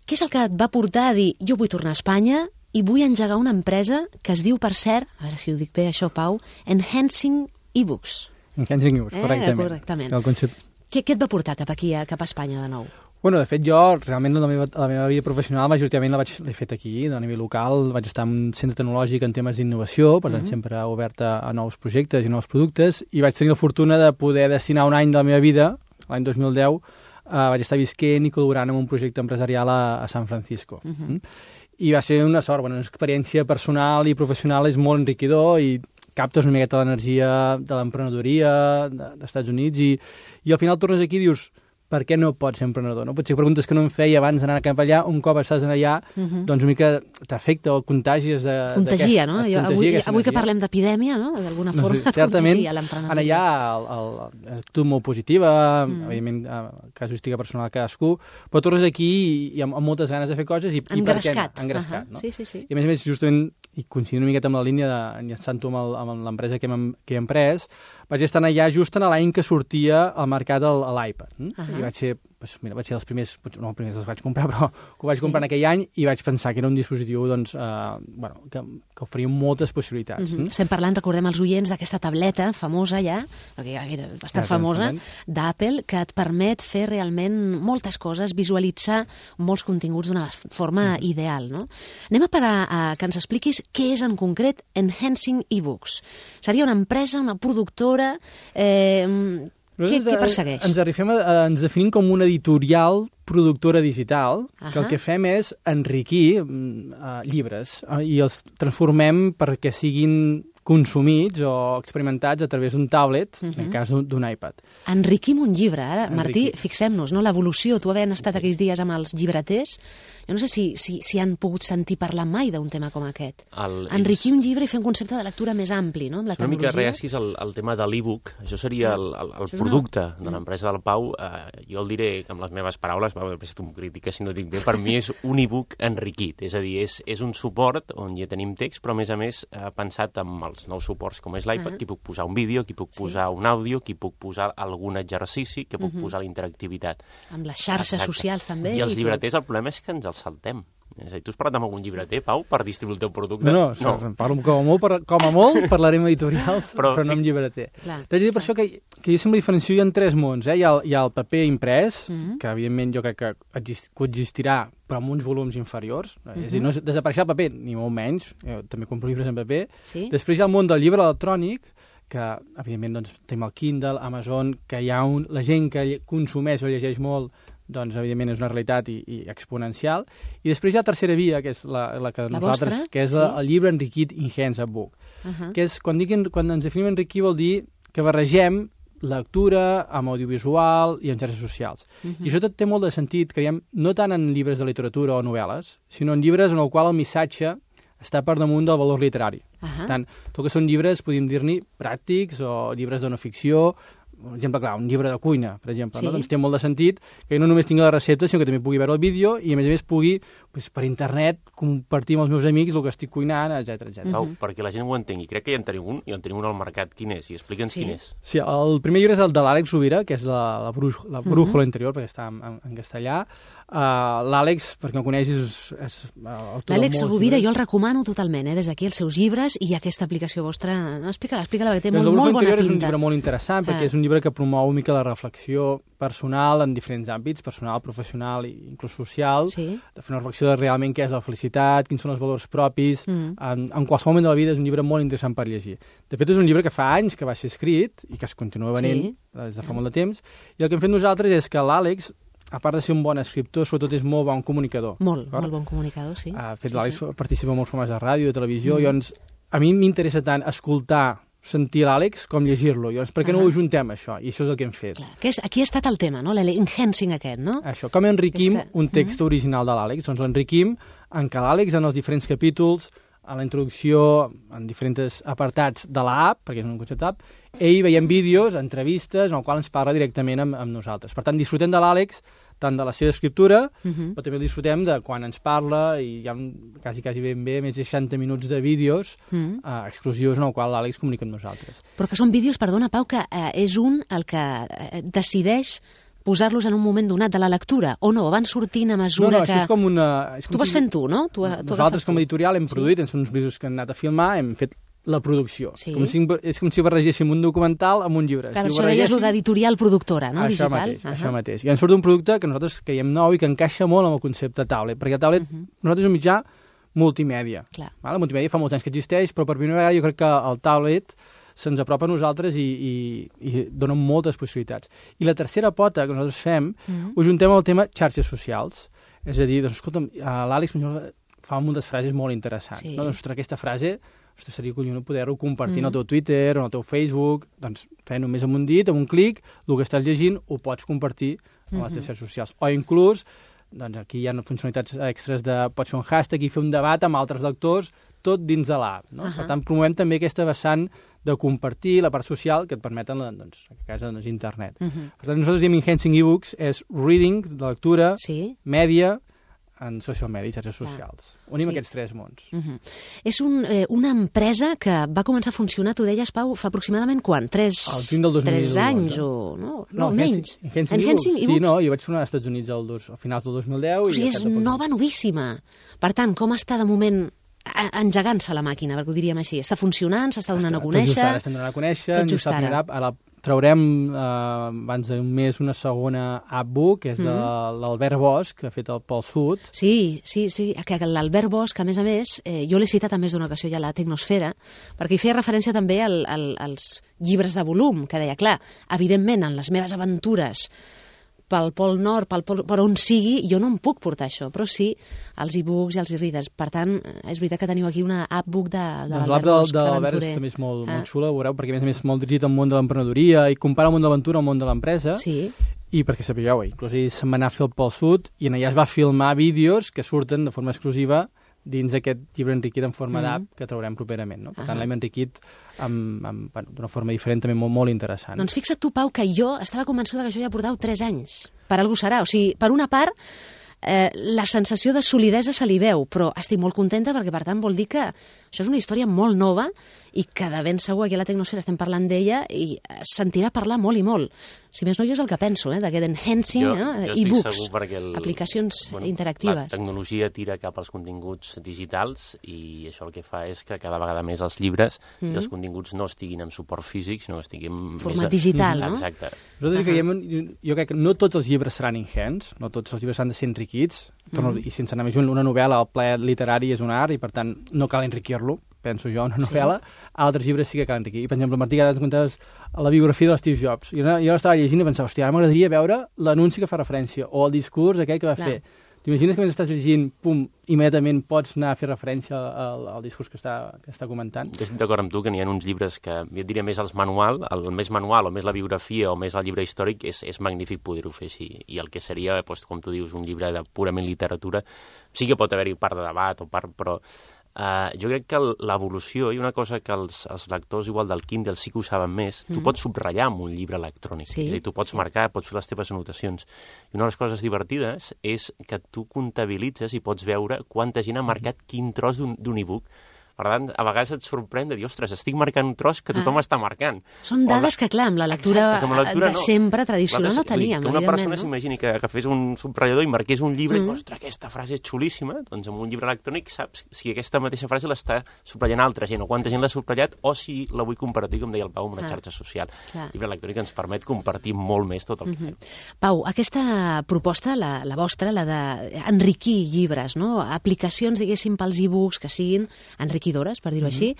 Què és el que et va portar a dir, jo vull tornar a Espanya i vull engegar una empresa que es diu, per cert, a veure si ho dic bé això, Pau, Enhancing eBooks. Enhancing eBooks, correctament. Què et va portar cap aquí, cap a Espanya de nou? Bueno, de fet, jo realment la meva vida professional majoritàriament l'he fet aquí, a nivell local. Vaig estar en un centre tecnològic en temes d'innovació, per tant sempre obert a nous projectes i nous productes, i vaig tenir la fortuna de poder destinar un any de la meva vida, l'any 2010, vaig estar visquent i col·laborant en un projecte empresarial a San Francisco. I va ser una sort, una experiència personal i professional és molt enriquidor i captes una miqueta l'energia de l'emprenedoria dels Estats Units i al final tornes aquí i dius, per què no pots ser emprenedor? No? Potser preguntes que no em feia abans d'anar cap allà, un cop estàs allà, doncs una mica t'afecta o contagies Contagia, no? Avui que parlem d'epidèmia, no? D'alguna forma contagia l'emprenedoria. Allà l'actitud molt positiva, evidentment casuística personal a cadascú, però tornes aquí i amb moltes ganes de fer coses i engrescat. No? Sí. I a més, justament, i coincidint una miqueta amb la línia enllaçant-ho amb l'empresa que he emprès, vaig estar allà just en l'any que sortia al mercat l'iPad. I vaig ser els primers, no els primers els vaig comprar, però ho vaig comprar en aquell any i vaig pensar que era un dispositiu que oferia moltes possibilitats. Estem parlant, recordem els oients, d'aquesta tableta famosa ja, perquè ja era bastant famosa, d'Apple, que et permet fer realment moltes coses, visualitzar molts continguts d'una forma ideal. No? Anem a parar que ens expliquis què és en concret Enhancing eBooks. Seria una empresa, una productora... Què persegueix? Ens definim com una editorial productora digital, que el que fem és enriquir llibres i els transformem perquè siguin consumits o experimentats a través d'un tablet, en el cas d'un iPad. Enriquim un llibre, ara. Martí, fixem-nos, no? L'evolució. Tu havent estat aquells dies amb els llibreters, jo no sé si han pogut sentir parlar mai d'un tema com aquest. Enriquir un llibre i fer un concepte de lectura més ampli, no? Amb la tecnologia. Una mica reacis el tema de l'e-book. Això seria el producte de l'empresa del Pau. Jo el diré amb les meves paraules, després tu em critiques si no dic bé, per mi és un e-book enriquit. És a dir, és un suport on ja tenim text, però a més pensat amb els nous suports com és l'iPad, que puc posar un vídeo, que puc posar un àudio, que puc posar algun exercici, que puc posar la interactivitat. Amb les xarxes socials també. I els llibreters, el problema és que ens els saltem. És a dir, tu has parlat amb algun llibreter, Pau, per distribuir el teu producte? No, parlo com a molt parlarem editorials, però no amb llibreter. T'haig de dir per això que jo sempre diferencio en tres mons. Hi ha el paper imprès, que evidentment jo crec que coexistirà, però amb uns volums inferiors. És a dir, no desapareixerà el paper, ni molt menys. Jo també compro llibres en paper. Després hi ha el món del llibre electrònic, que evidentment doncs, tenim el Kindle, Amazon, que hi ha la gent que consumeix o llegeix molt, doncs evidentment és una realitat i exponencial. I després hi ha la tercera via, que és la que nosaltres, que és el llibre enriquit Enhanced Book, que és, quan ens definim enriquir vol dir que barregem lectura amb audiovisual i en xarxes socials. I això tot té molt de sentit, creiem, no tant en llibres de literatura o novel·les, sinó en llibres en el qual el missatge està per damunt del valor literari. Per tant, tot que són llibres, podríem dir-ne, pràctics o llibres de no ficció, per exemple, clar, un llibre de cuina, per exemple, no? Doncs té molt de sentit que no només tingui la recepta, sinó que també pugui veure el vídeo i, a més, pugui, per internet, compartir amb els meus amics el que estic cuinant, etc. Pau, perquè la gent ho entengui. Crec que ja en tenim un al mercat. Quin és? I explica'ns quin és. Sí, el primer llibre és el de l'Àlex Rovira, que és la brújula interior, perquè està en castellà. L'Àlex, perquè no coneixis, és l'Àlex Rovira, jo el recomano totalment, des d'aquí els seus llibres i aquesta aplicació vostra. Explica-la, perquè té molt bona pinta. És un llibre molt interessant, perquè és un llibre que promou una mica la reflexió personal en diferents àmbits, personal, professional i inclús social, de fer una reflexió de realment què és la felicitat, quins són els valors propis, en qualsevol moment de la vida és un llibre molt interessant per llegir. De fet, és un llibre que fa anys que va ser escrit i que es continua venent des de fa molt de temps, i el que hem fet nosaltres és que l'Àlex, a part de ser un bon escriptor, sobretot és molt bon comunicador. Molt bon comunicador, sí. L'Àlex participa en molts programes de ràdio, de televisió, i llavors a mi m'interessa tant escoltar, sentir l'Àlex com llegir-lo. Llavors, per què no ho ajuntem, això? I això és el que hem fet. Aquí ha estat el tema, no? L'enhancing aquest, no? Això, com enriquim un text original de l'Àlex? Doncs l'enriquim en què l'Àlex, en els diferents capítols, a la introducció, en diferents apartats de l'app, perquè és un concepte app, ell veiem vídeos, entrevistes, en el qual ens parla directament amb nosaltres. Per tant, disfrutem de l'Àlex, tant de la seva escriptura, però també el disfrutem de quan ens parla, i hi ha quasi ben bé més de 60 minuts de vídeos exclusius en el qual l'Àlex comunica amb nosaltres. Però que són vídeos, perdona, Pau, que és un el que decideix posar-los en un moment donat de la lectura, o no? Van sortint a mesura que... No, això és com una... Tu vas fent tu, no? Nosaltres com a editorial hem produït, són uns vídeos que hem anat a filmar, hem fet la producció. És com si barregéssim un documental amb un llibre. Clar, això deies d'editorial productora, no? Digital. Això mateix. I ens surt un producte que nosaltres creiem nou i que encaixa molt amb el concepte tablet, perquè el tablet, nosaltres és un mitjà multimèdia. La multimèdia fa molts anys que existeix, però per primera vegada jo crec que el tablet se'ns apropa a nosaltres i dona moltes possibilitats. I la tercera pota que nosaltres fem, ho juntem al tema xarxes socials. És a dir, doncs, escolta'm, l'Àlex fa moltes frases molt interessants. No? Doncs, aquesta frase seria collonut poder-ho compartir en el teu Twitter o en el teu Facebook. Doncs, només amb un dit, amb un clic, el que estàs llegint ho pots compartir a les teves xarxes socials. O inclús, doncs aquí hi ha funcionalitats extres de pots fer un hashtag i fer un debat amb altres lectors, tot dins de l'app. No? Per tant, promovem també aquesta vessant de compartir la part social que et permeten, doncs, en aquest cas, internet. Per tant, nosaltres diem Enhancing eBooks és reading, de lectura, mèdia, en social media, xarxes socials. Unim aquests tres mons. És una empresa que va començar a funcionar, tu deies, Pau, fa aproximadament quan? 3 anys o... No, menys. Enhancing eBooks. Sí, no, jo vaig tornar als Estats Units a finals del 2010. O sigui, és nova, novíssima. Per tant, com està de moment engegant-se la màquina, perquè ho diríem així? Està funcionant, s'està donant a conèixer? Estem donant a conèixer, tot just ara. Ara traurem abans d'un mes una segona app-book, que és de l'Albert Bosch, que ha fet el Pol Sud. Sí, que l'Albert Bosch, a més, jo l'he citat en més d'una ocasió ja a la Tecnosfera, perquè hi feia referència també als llibres de volum, que deia, clar, evidentment, en les meves aventures pel Pol Nord, per on sigui, jo no em puc portar això, però sí els e-books i els e-readers. Per tant, és veritat que teniu aquí una app-book de l'Albert Bosch, de l'Albert també és molt xula, ho veureu, perquè a més és molt dirigit al món de l'emprenedoria i compara el món de l'aventura al món de l'empresa. I perquè sapigueu, inclús ell se'n va anar a fer el Pol Sud i allà es va filmar vídeos que surten de forma exclusiva dins d'aquest llibre enriquit en forma d'app que traurem properament. No? Per tant, l'hem enriquit d'una forma diferent, també molt, molt interessant. Doncs fixa't tu, Pau, que jo estava convençuda que això ja portava 3 anys. Per algú serà. O sigui, per una part, la sensació de solidesa se li veu, però estic molt contenta perquè, per tant, vol dir que això és una història molt nova i que de ben segur aquí a la Tecnosfera estem parlant d'ella i sentirà parlar molt i molt. Si més no, jo és el que penso, d'aquest enhancing, e-books, aplicacions interactives. La tecnologia tira cap als continguts digitals i això el que fa és que cada vegada més els llibres i els continguts no estiguin en suport físic, sinó que estiguin format digital, no? Exacte. Nosaltres jo crec que no tots els llibres seran enhanced, no tots els llibres han de ser enriquits, i sense anar més lluny, una novel·la, el ple literari és un art i per tant no cal enriquir-lo, penso jo, una novel·la. Altres llibres sí que cal enriquir. Per exemple, Martí, ara ens contaves la biografia de Steve Jobs. Jo l'estava llegint i pensava, hòstia, ara m'agradaria veure l'anunci que fa referència o el discurs aquell que va fer. T'imagines que mentre estàs llegint, immediatament pots anar a fer referència al discurs que està comentant? Jo estic d'acord amb tu que n'hi ha uns llibres que, jo et diria més el més manual o més la biografia o més el llibre històric, és magnífic poder-ho fer així. I el que seria, com tu dius, un llibre de purament literatura, sí que pot haver-hi part de debat, però jo crec que l'evolució, i una cosa que els lectors igual del Kindle sí que ho saben més, tu pots subratllar amb un llibre electrònic, és a dir, tu pots marcar, pots fer les teves anotacions. I una de les coses divertides és que tu comptabilitzes i pots veure quanta gent ha marcat quin tros d'un e-book, Per tant, a vegades et sorprèn de dir, ostres, estic marcant un tros que tothom està marcant. Són dades que, clar, amb la lectura de sempre tradicional no teníem. Que una persona s'imagini que fes un subratllador i marqués un llibre i, ostres, aquesta frase és xulíssima, doncs amb un llibre electrònic saps si aquesta mateixa frase l'està subratllant altra gent, o quanta gent l'ha subratllat, o si la vull compartir, com deia el Pau, amb una xarxa social. El llibre electrònic ens permet compartir molt més tot el que fem. Pau, aquesta proposta, la vostra, la d'enriquir llibres, no? Aplicacions, diguéssim, pels e-books que siguin enriquidores, per dir-ho així.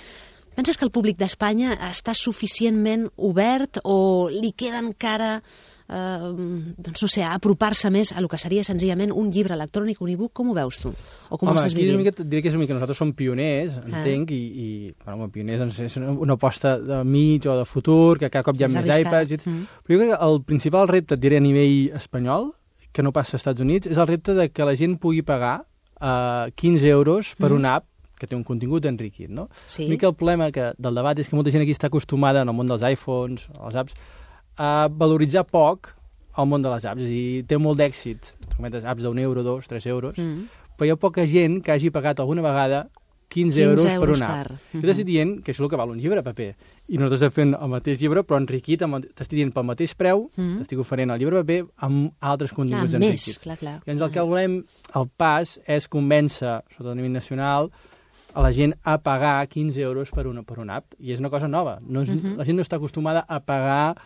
Penses que el públic d'Espanya està suficientment obert o li queda encara, doncs no sé, apropar-se més a lo que seria senzillament un llibre electrònic, un e-book? Com ho veus tu? O com ho estàs vivint? Diré que és una mica, nosaltres som pioners, entenc, i pioners és una aposta de mig o de futur, que cada cop hi ha més iPads. Però jo crec que el principal repte, et diré a nivell espanyol, que no passa als Estats Units, és el repte de que la gent pugui pagar 15 euros per una app que té un contingut enriquit, no? Una mica el problema del debat és que molta gent aquí està acostumada en el món dels iPhones, les apps, a valoritzar poc el món de les apps. És a dir, té molt d'èxit, apps d'1 euro, 2, 3 euros, però hi ha poca gent que hagi pagat alguna vegada 15 euros per una app. Jo t'estic dient que això és el que val un llibre a paper. I nosaltres estem fent el mateix llibre, però enriquit, t'estic dient pel mateix preu, t'estic oferint el llibre a paper amb altres continguts enriquits. I el que volem, el pas, és convèncer, sobretot a nivell nacional, a la gent a pagar 15 euros per una app. I és una cosa nova. La gent no està acostumada a pagar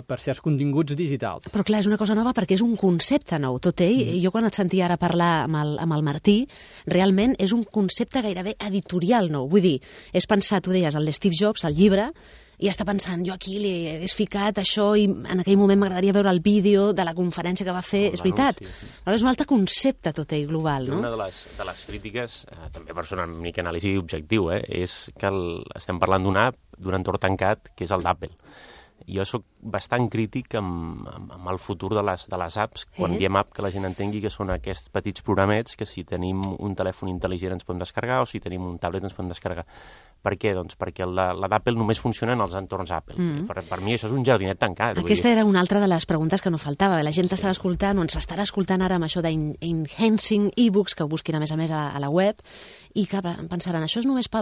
per certs continguts digitals. Però clar, és una cosa nova perquè és un concepte nou. Tot ell, jo quan et sentia ara parlar amb el Martí, realment és un concepte gairebé editorial nou. Vull dir, és pensar, tu deies, el Steve Jobs, el llibre, i està pensant, jo aquí li hagués ficat això i en aquell moment m'agradaria veure el vídeo de la conferència que va fer, és veritat. Però és un altre concepte tot ell global, no? Una de les crítiques, també per fer una mica anàlisi objectiu, és que estem parlant d'una app, d'un entorn tancat, que és el d'Apple. Jo sóc bastant crític amb el futur de les apps, quan diem app que la gent entengui que són aquests petits programets que si tenim un telèfon intel·ligent ens podem descarregar o si tenim un tablet ens podem descarregar. Per què? Doncs perquè la d'Apple només funciona en els entorns Apple. Per mi això és un jardinet tancat. Aquesta era una altra de les preguntes que no faltava. La gent estarà escoltant o ens estarà escoltant ara amb això d'enhancing e-books, que ho busquin a més a la web, i que pensaran, això és només per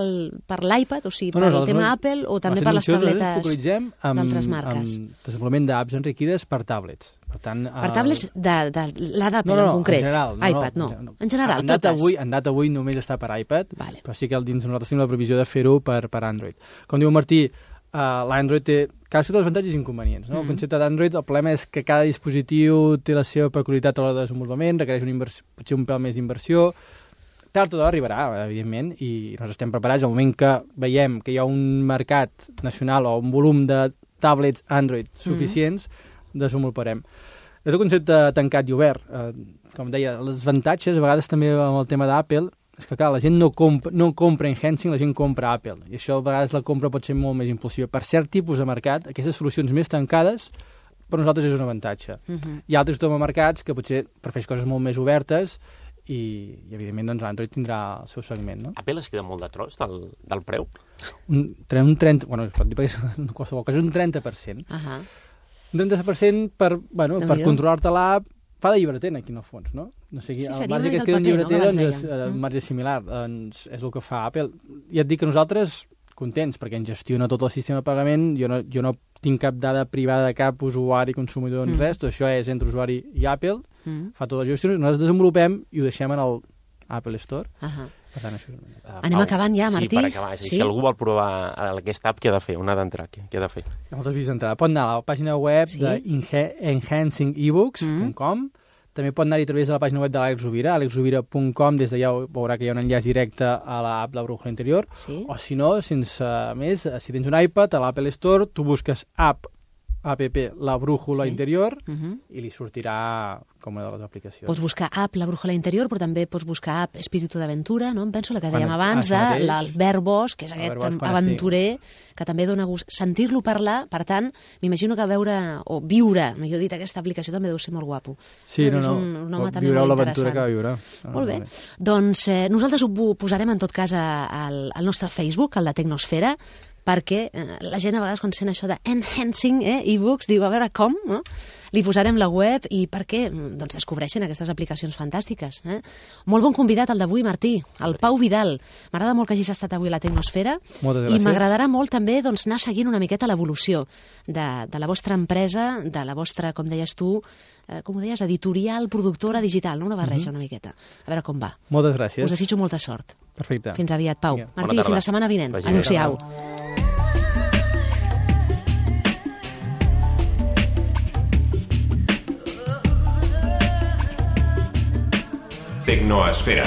l'iPad, o sigui, per el tema Apple, o també per les tabletes d'altres marques? Amb desenvolupament d'apps enriquides per tablets. Per tablets de la d'Apple en concret? iPad, no. En general, totes. En data avui només està per iPad, però sí que dins nosaltres tenim la previsió de fer-ho per Android. Com diu Martí, l'Android té cada dels avantatges i inconvenients. El concepte d'Android, el problema és que cada dispositiu té la seva peculiaritat a l'hora de desenvolupament, requereix potser un pèl més d'inversió. Tard o d'hora arribarà, evidentment, i nosaltres estem preparats. Al moment que veiem que hi ha un mercat nacional o un volum de tablets Android suficients, desenvoluparem. És el concepte tancat i obert. Com deia, els avantatges, a vegades també amb el tema d'Apple, és que clar, la gent no compra enhancing, la gent compra Apple. I això a vegades la compra pot ser molt més impulsiva. Per cert tipus de mercat, aquestes solucions més tancades, per nosaltres és un avantatge. Hi ha altres mercats que potser prefereix coses molt més obertes i evidentment doncs Android tindrà el seu segment, no? Apple es queda molt de tros del preu? Un 30%, bueno, es pot dir perquè en qualsevol cas un 30%. Un 30% per controlar-te l'app, fa de llibreter aquí en el fons, no? No sé, el marge que es queda en llibreter doncs, és un marge similar, doncs és el que fa Apple. Ja et dic que nosaltres contents, perquè en gestiona tot el sistema de pagament, jo no tinc cap dada privada de cap usuari, consumidor, ni res, tot això és entre usuari i Apple, fa totes les gestions, nosaltres desenvolupem i ho deixem en el Apple Store. Per tant, això anem acabant ja, Martí? Sí, per acabar. Si algú vol provar aquesta app, què ha de fer? On ha d'entrar? Què ha de fer? Hi ha moltes vies d'entrada. Pot anar a la pàgina web d'enhancingebooks.com. També pot anar-hi a través de la pàgina web de l'Àlex Rovira, alexrovira.com, des d'allà veurà que hi ha un enllaç directe a l'app La Brújula Interior, o si no, sense més, si tens un iPad, a l'Apple Store, tu busques app La Brújula Interior i li sortirà com una de les aplicacions. Pots buscar app La Brújula Interior, però també pots buscar app Espíritu d'Aventura, no? Em penso la que dèiem abans, de l'Albert Bosch, que és aquest aventurer que també dona gust sentir-lo parlar. Per tant, m'imagino que viure, millor dit, aquesta aplicació també deu ser molt guapo. Sí, no, viureu l'aventura que va viure. Molt bé. Doncs nosaltres ho posarem en tot cas al nostre Facebook, al de Tecnosfera, perquè la gent a vegades quan sent això de enhancing e-books diu, a veure com, no? li posarem la web i perquè descobreixin aquestes aplicacions fantàstiques. Molt bon convidat el d'avui, Martí, el Pau Vidal. M'agrada molt que hagis estat avui a la Tecnosfera i m'agradarà molt també anar seguint una miqueta l'evolució de la vostra empresa, de la vostra, com deies tu, com ho deies, editorial, productora digital, no? Una barreja una miqueta. A veure com va. Moltes gràcies. Us desitjo molta sort. Perfecte. Fins aviat, Pau. Martí, fins la setmana vinent. Adéu-siau. Tecnoesfera.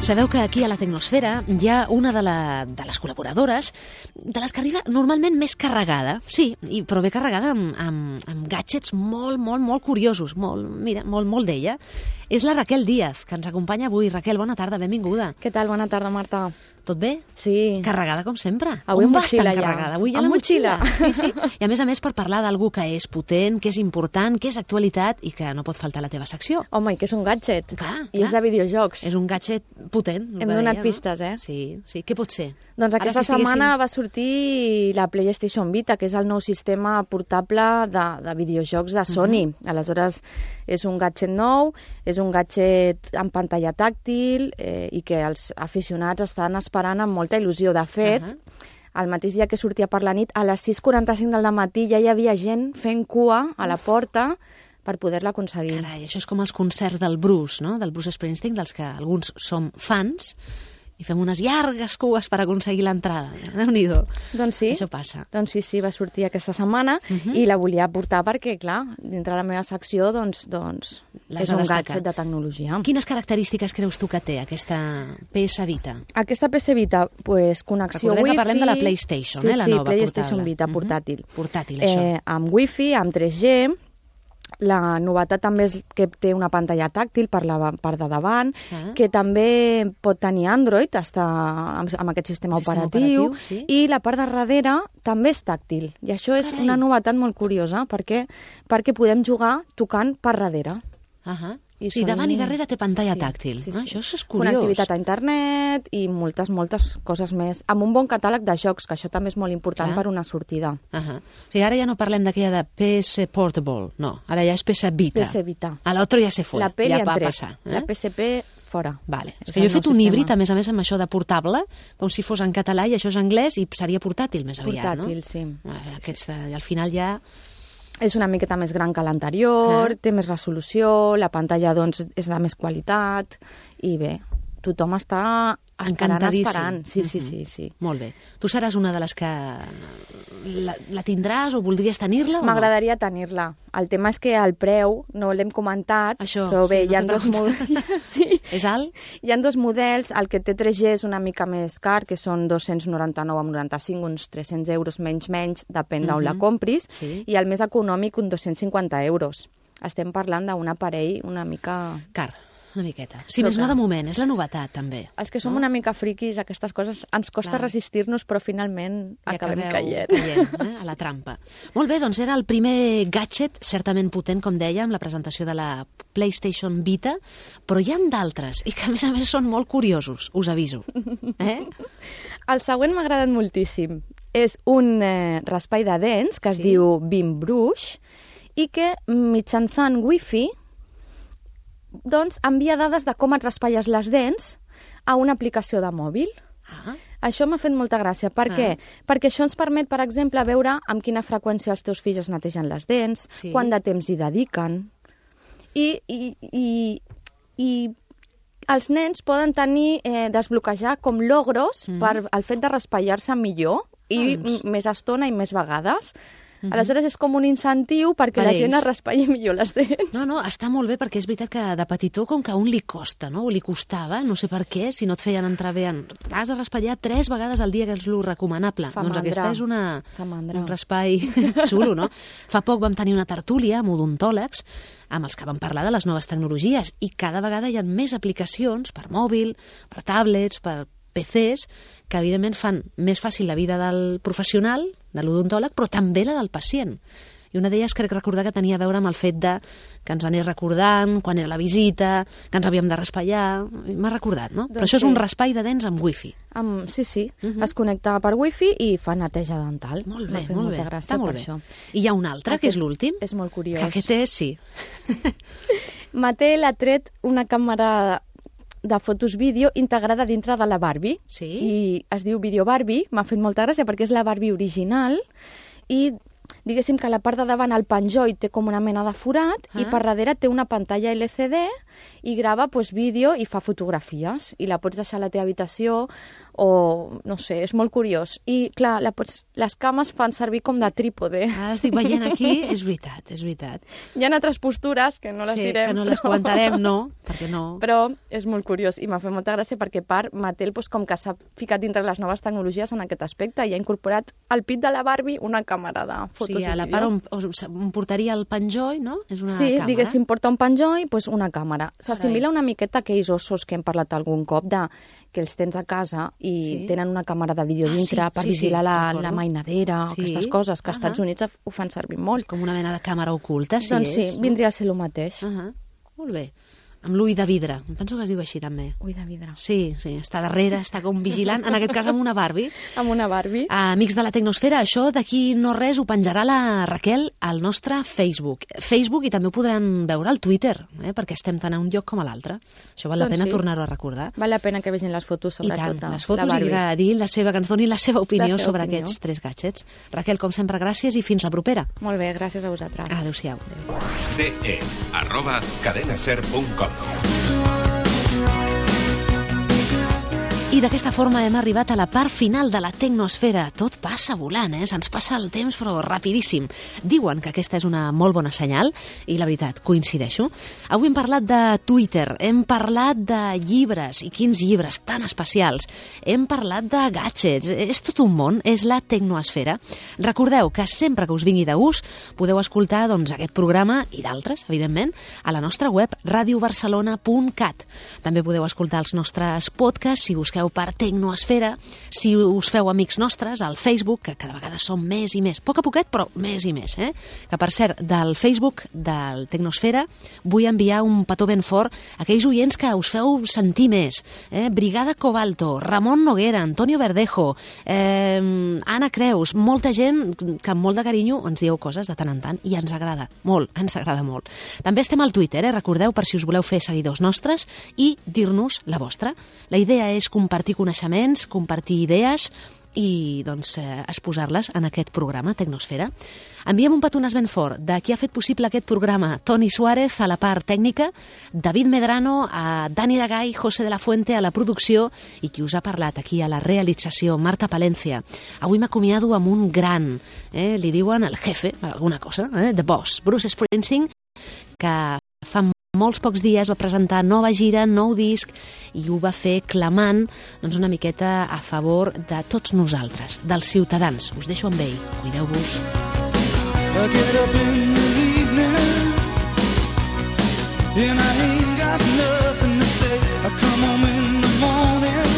Sabeu que aquí a la Tecnosfera hi ha una de les col·laboradores de les que arriba normalment més carregada, sí, però bé carregada amb gadgets molt, molt, molt curiosos, molt d'ella. És la Raquel Díaz, que ens acompanya avui. Raquel, bona tarda, benvinguda. Què tal? Bona tarda, Marta. Tot bé? Sí. Carregada com sempre. Avui amb motxilla ja. Carregada. Avui ja la motxilla. Sí. I a més per parlar d'algú que és potent, que és important, que és actualitat i que no pot faltar a la teva secció. Home, i que és un gadget. Clar. I és de videojocs. És un gadget potent. Hem donat pistes, eh? Sí. Què pot ser? Doncs aquesta setmana va sortir la PlayStation Vita, que és el nou sistema portable de videojocs de Sony. Aleshores, és un gadget nou, és un gadget amb pantalla tàctil i que els aficionats estan esperant amb molta il·lusió. De fet, el mateix dia que sortia per la nit, a les 6:45 del matí ja hi havia gent fent cua a la porta per poder-la aconseguir. Carai, això és com els concerts del Bruce, no? Del Bruce Springsteen, dels que alguns som fans, i fem unes llargues cues per aconseguir l'entrada. Déu-n'hi-do. Doncs sí. Això passa. Doncs sí, va sortir aquesta setmana i la volia portar perquè, clar, dintre la meva secció, doncs és un gadget de tecnologia. Quines característiques creus tu que té aquesta PS Vita? Aquesta PS Vita, pues, connexió Recordem Wi-Fi... que parlem de la PlayStation, la nova PlayStation Vita portàtil. Portàtil, això. Amb Wi-Fi, amb 3G... La novetat també és que té una pantalla tàctil per la part de davant, que també pot tenir Android, està amb aquest sistema operatiu, sí. I la part de darrere també és tàctil. I això és una novetat molt curiosa, perquè podem jugar tocant per darrere. Sí, davant i darrere té pantalla tàctil. Sí. Això és curiós. Connectivitat a internet i moltes coses més. Amb un bon catàleg de jocs, que això també és molt important per una sortida. O sigui, ara ja no parlem d'aquella de PS Portable, no. Ara ja és PS Vita. PS Vita. A l'altre ja se fue. La P ja va passar. La PSP fora. Vale. És que jo he fet un híbrid, a més amb això de portable, com si fos en català i això és anglès i seria portàtil més aviat, no? Portàtil, sí. Al final ja... És una miqueta més gran que l'anterior, té més resolució, la pantalla doncs, és de més qualitat i bé, tothom està esperant. Sí. Molt bé. Tu seràs una de les que la tindràs o voldries tenir-la? M'agradaria tenir-la. El tema és que el preu, no l'hem comentat, però bé, hi ha dos models. És alt? Hi ha dos models. El que té 3G és una mica més car, que són 299,95, uns 300 euros menys, depèn d'on la compris, i el més econòmic, uns 250 euros. Estem parlant d'un aparell una mica... car. Una miqueta. Sí, més no de moment, és la novetat, també. Els que som una mica friquis, aquestes coses, ens costa resistir-nos, però finalment acabem caient. A la trampa. Molt bé, doncs era el primer gadget, certament potent, com dèiem, la presentació de la PlayStation Vita, però hi ha d'altres, i que a més són molt curiosos, us aviso. El següent m'ha agradat moltíssim. És un raspall de dents que es diu Beam Brush i que mitjançant Wi-Fi doncs envia dades de com et raspalles les dents a una aplicació de mòbil. Això m'ha fet molta gràcia. Per què? Perquè això ens permet, per exemple, veure amb quina freqüència els teus fills es netegen les dents, quant de temps hi dediquen. I els nens poden tenir, desbloquejar com logros per el fet de raspallar-se millor i més estona i més vegades. Aleshores és com un incentiu perquè la gent es raspalli millor les dents. No, està molt bé perquè és veritat que de petitó com que a un li costa, no? O li costava, no sé per què, si no et feien entrar bé has de raspallar 3 vegades al dia, que és lo recomanable. Doncs aquesta és un raspall xulo, no? Fa poc vam tenir una tertúlia amb odontòlegs amb els que vam parlar de les noves tecnologies i cada vegada hi ha més aplicacions per mòbil, per tablets, per PCs, que evidentment fan més fàcil la vida del professional, de l'odontòleg, però també la del pacient. I una d'elles crec recordar que tenia a veure amb el fet de que ens anés recordant quan era la visita, que ens havíem de raspallar. M'ha recordat, no? Però això és un raspall de dents amb wifi. Sí. Es connecta per wifi i fa neteja dental. Molt bé, molt bé. Està molt bé. I hi ha un altre, que és l'últim. És molt curiós. Que aquest és, sí. Mattel ha tret una càmera de fotos vídeo integrada dintre de la Barbie. Sí. I es diu Video Barbie. M'ha fet molta gràcia perquè és la Barbie original i diguéssim que a la part de davant el penjoll té com una mena de forat i per darrere té una pantalla LCD i grava vídeo i fa fotografies i la pots deixar a la teva habitació o, no sé, és molt curiós. I, clar, les cames fan servir com de trípode. Ara estic veient aquí, és veritat, és veritat. Hi ha altres postures que no les direm. Sí, que no les comentarem, no, perquè no. Però és molt curiós i m'ha fet molta gràcia perquè Mattel, com que s'ha ficat dintre les noves tecnologies en aquest aspecte i ha incorporat al pit de la Barbie una càmera de fotos i vídeo. Sí, a la part on portaria el penjoll, no? És una càmera. Sí, diguéssim, porta un penjoll, una càmera. S'assimila una miqueta a aquells ossos que hem parlat algun cop que els tens a casa i tenen una càmera de vídeo dintre per vigilar la mainadera o aquestes coses, que als Estats Units ho fan servir molt. Com una mena de càmera oculta, sí. Doncs sí, vindria a ser el mateix. Molt bé. Amb l'ull de vidre. Em penso que es diu així, també. Ull de vidre. Sí, està darrere, està com vigilant. En aquest cas, amb una Barbie. Amb una Barbie. Amics de la Tecnosfera, això d'aquí no res ho penjarà la Raquel al nostre Facebook. I també ho podran veure al Twitter, perquè estem tant a un lloc com a l'altre. Això val la pena tornar-ho a recordar. Val la pena que vegin les fotos, sobretot. I tant, les fotos i que ens donin la seva opinió sobre aquests 3 gadgets. Raquel, com sempre, gràcies i fins la propera. Molt bé, gràcies a vosaltres. Adéu-siau. ce@cadenaser.com. I d'aquesta forma hem arribat a la part final de la Tecnosfera. Tot passa volant, se'ns passa el temps però rapidíssim. Diuen que aquesta és una molt bona senyal i la veritat, coincideixo. Avui hem parlat de Twitter, hem parlat de llibres i quins llibres tan especials. Hem parlat de gadgets, és tot un món, és la Tecnosfera. Recordeu que sempre que us vingui de gust podeu escoltar aquest programa i d'altres, evidentment, a la nostra web radiobarcelona.cat. També podeu escoltar els nostres podcasts si busqueu per Tecnosfera, si us feu amics nostres al Facebook, que cada vegada som més i més, poc a poquet, però més i més. Que, per cert, del Facebook del Tecnosfera vull enviar un petó ben fort a aquells oients que us feu sentir més. Brigada Cobalto, Ramon Noguera, Antonio Verdejo, Anna Creus, molta gent que amb molt de carinyo ens dieu coses de tant en tant i ens agrada molt, ens agrada molt. També estem al Twitter, recordeu, per si us voleu fer seguidors nostres i dir-nos la vostra. La idea és compartir coneixements, compartir idees i exposar-les en aquest programa Tecnosfera. Enviem un petonàs ben fort de qui ha fet possible aquest programa. Toni Suárez a la part tècnica, David Medrano, a Dani Dagay, José de la Fuente a la producció i qui us ha parlat aquí a la realització, Marta Palencia. Avui m'acomiado amb un gran, li diuen el jefe, alguna cosa, The Boss, Bruce Springsteen, que fa molts pocs dies va presentar nova gira, nou disc, i ho va fer clamant una miqueta a favor de tots nosaltres, dels ciutadans. Us deixo amb ell. Cuideu-vos. I get up in the evening and I ain't got nothing to say. I come home in the morning,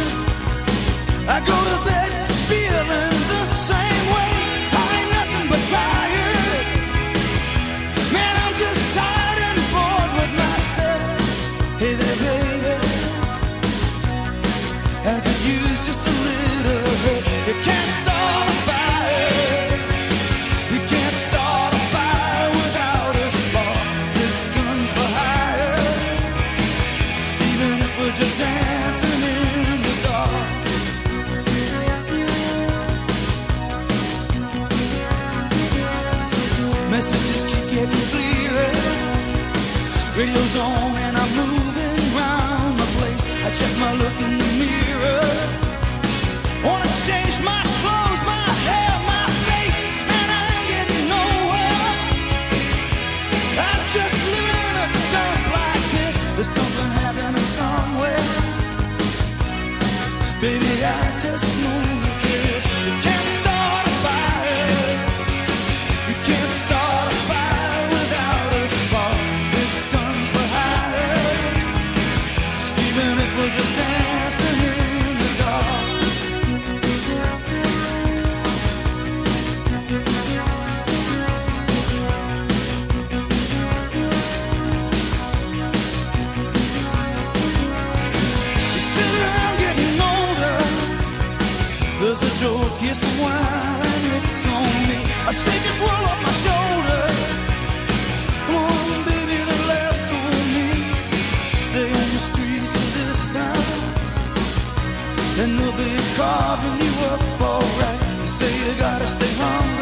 I go to bed feeling the same way. I ain't nothing but tired. Man, I'm just tired and bored with myself. Hey there, baby, I could use just a little help. You can't start a fire. You can't start a fire without a spark. This gun's for hire. Even if we're just dancing in the dark. Messages keep getting clearer. Radio's on and I'm moving around my place. I check my look in the mirror. Wanna change my clothes, my hair, my face, and I ain't getting nowhere. I'm just living in a dump like this. There's something happening somewhere. Baby, I just know that this. You can't start a fire. You can't start a fire without a spark. This gun's for hire. Even if we're just dancing. smile and it's on me. I shake this world off my shoulders. Come on, baby, the laughs on me. Stay on the streets of this town, and they'll be carving you up alright. You say you gotta stay hungry,